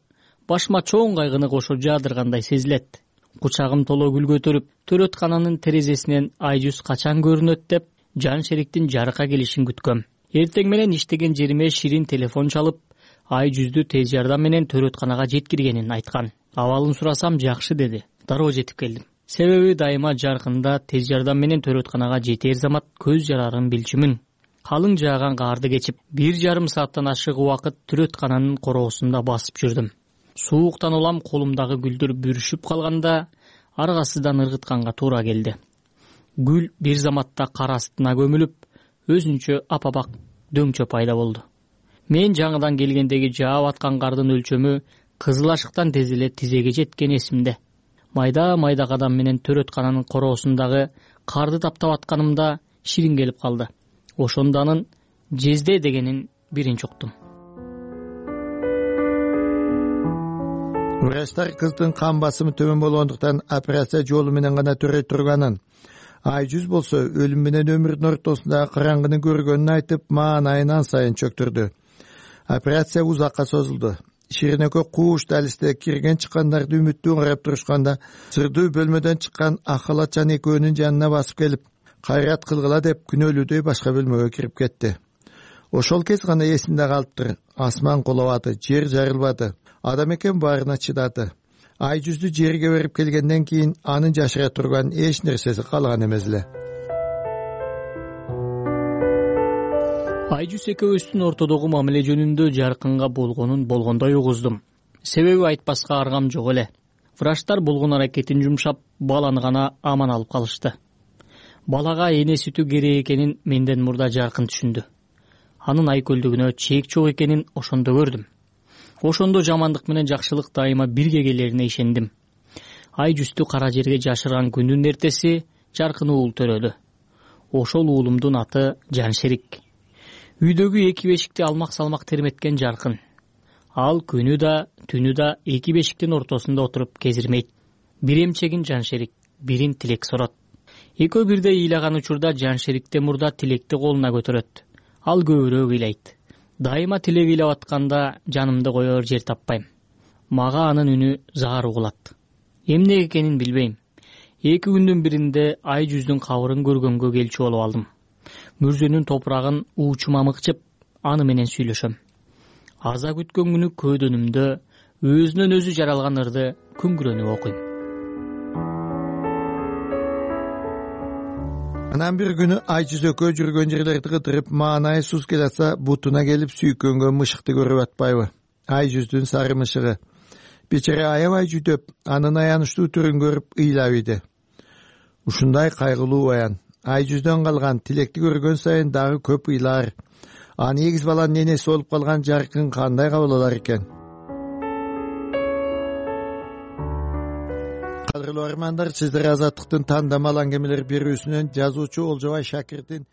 [SPEAKER 1] башыма чоң кайгыны кошо жаадыргандай сезилет. Кучагым толо гүл көтөрүп, төрөткананын терезесинен Айжүз качан көрүнөт деп жан шериктин жарыка келишин күткөм. Эртең менен иштеген жериме Ширин телефон чалып, Айжүздү тез жардам менен төрөтканага жеткиргенин айткан. Абалын сурасам жакшы деди. Дароо жетип келдим. Себеби дайыма жаркында тез жардам менен төрөтканага жетер замат көз жарарын билчүмүн. Калың жааган карды кечип, 1,5 сааттан ашык убакыт төрөткананын короосунда басып жүрдүм. Сууктан улам колумдагы гүлдөр бүрүшүп калганда, аргасыздан ыргытканга туура келди. Гүл бир заматта кар астына көмүлүп, өзүнчө апабак дөңчө пайда болду. Мен жаңыдан келгендеги жаап аткан кардын өлчөмү кызыл ашыктан тез эле тизеге жеткен эсимде. Майда кадам менен төрөткананын короосундагы карды таптап атканымда Ширин келип калды. Ошондо анын жезде дегенин биринчи уктум.
[SPEAKER 25] Врачтар кыздын кан басымы төмөн болгондуктан операция жолу менен гана төрөй турганын, Айжүз болсо өлүм менен өмүрдүн ортосундагы караңгыны көргөнүн айтып, маанайынан сайын чөктүрдү. Операция узакка созулду. Ширин экөө кууш далисте кирген чыккандарды үмүттүү карап турушканда, сырдуу бөлмөдөн чыккан ак халатчан экөөнүн жанына басып келип, кайрат кылгыла деп күнөөлүүдөй башка бөлмөгө кирип кетти. Ошол кез гана эсимде калыптыр. Асман кулабады, жер жарылбады. Адам экен баарына чыдады. Айжүздү жерге берип келгенден кийин анын жашыра турган эч нерсеси калган эмес эле.
[SPEAKER 1] Айжүз экөөбүздүн ортодогу мамиле жөнүндө жаркынга болгондой угуздум. Себеби айтпаска аргам жок эле. Врачтар болгон аракетин жумшап, баланы гана аман алып калышты. Балага эне сүтү керек экенин менден мурда жаркын түшүндү. Анын айкөлдүгүнө чек жок экенин ошондо көрдүм. Ошондо жамандык менен жакшылык дайыма бирге келерине ишендим. Айжүздү кара жерге жашырган күндүн эртеси жаркын уул төрөлдү. Ошол уулумдун аты Жаншерик. Үйдөгү эки бешикти алмак салмак терметкен жаркын. Ал күнү да түнү да эки бешиктин ортосунда отуруп кезирмейт. Бир эмчегин Жаншерик, бирин Тилек сорот. Экөө бирдей ыйлаган учурда Жаншерикте мурда Тилекти колуна көтөрөт. Ал көбүрөөк ыйлайт. Дайыма Тилек ыйлап атканда жанымды коер жер таппайм. Мага анын үнү заар угулат. Эмне экенин билбейм. Эки күндүн биринде ай жүздүн кабырын көргөнгө келчү болуп алдым. Мүрзөнүн топурагын уучума мыкчып, аны менен сүйлөшөм. Аза күткөн күнү көөдөнүмдө өзүнөн өзү жаралган ырды күңгүрөнүп окуйм.
[SPEAKER 25] Анан бир күнү ай жүзөккө жүргөн жерлерди кыдырып, маанай сус келатса, бутуна келип сүйкөнгөн мышыкты көрүп атпайбы? Ай жүздүн сары мышыгы. Бечара аябай жүдөп, анын аянычтуу түрүн көрүп ыйлап иди. Ушундай кайгылуу аян. Ай жүздөн калган Тилекти көргөн сайын дагы көп ыйлар. Аны эгиз баланын энеси болуп калган жаркын кандай кабыл алар экен? Кадырлуу армандар, сиздер Азаттыктын тандамал аңгемелер берүүсүнөн жазуучу Олжобай Шакирдин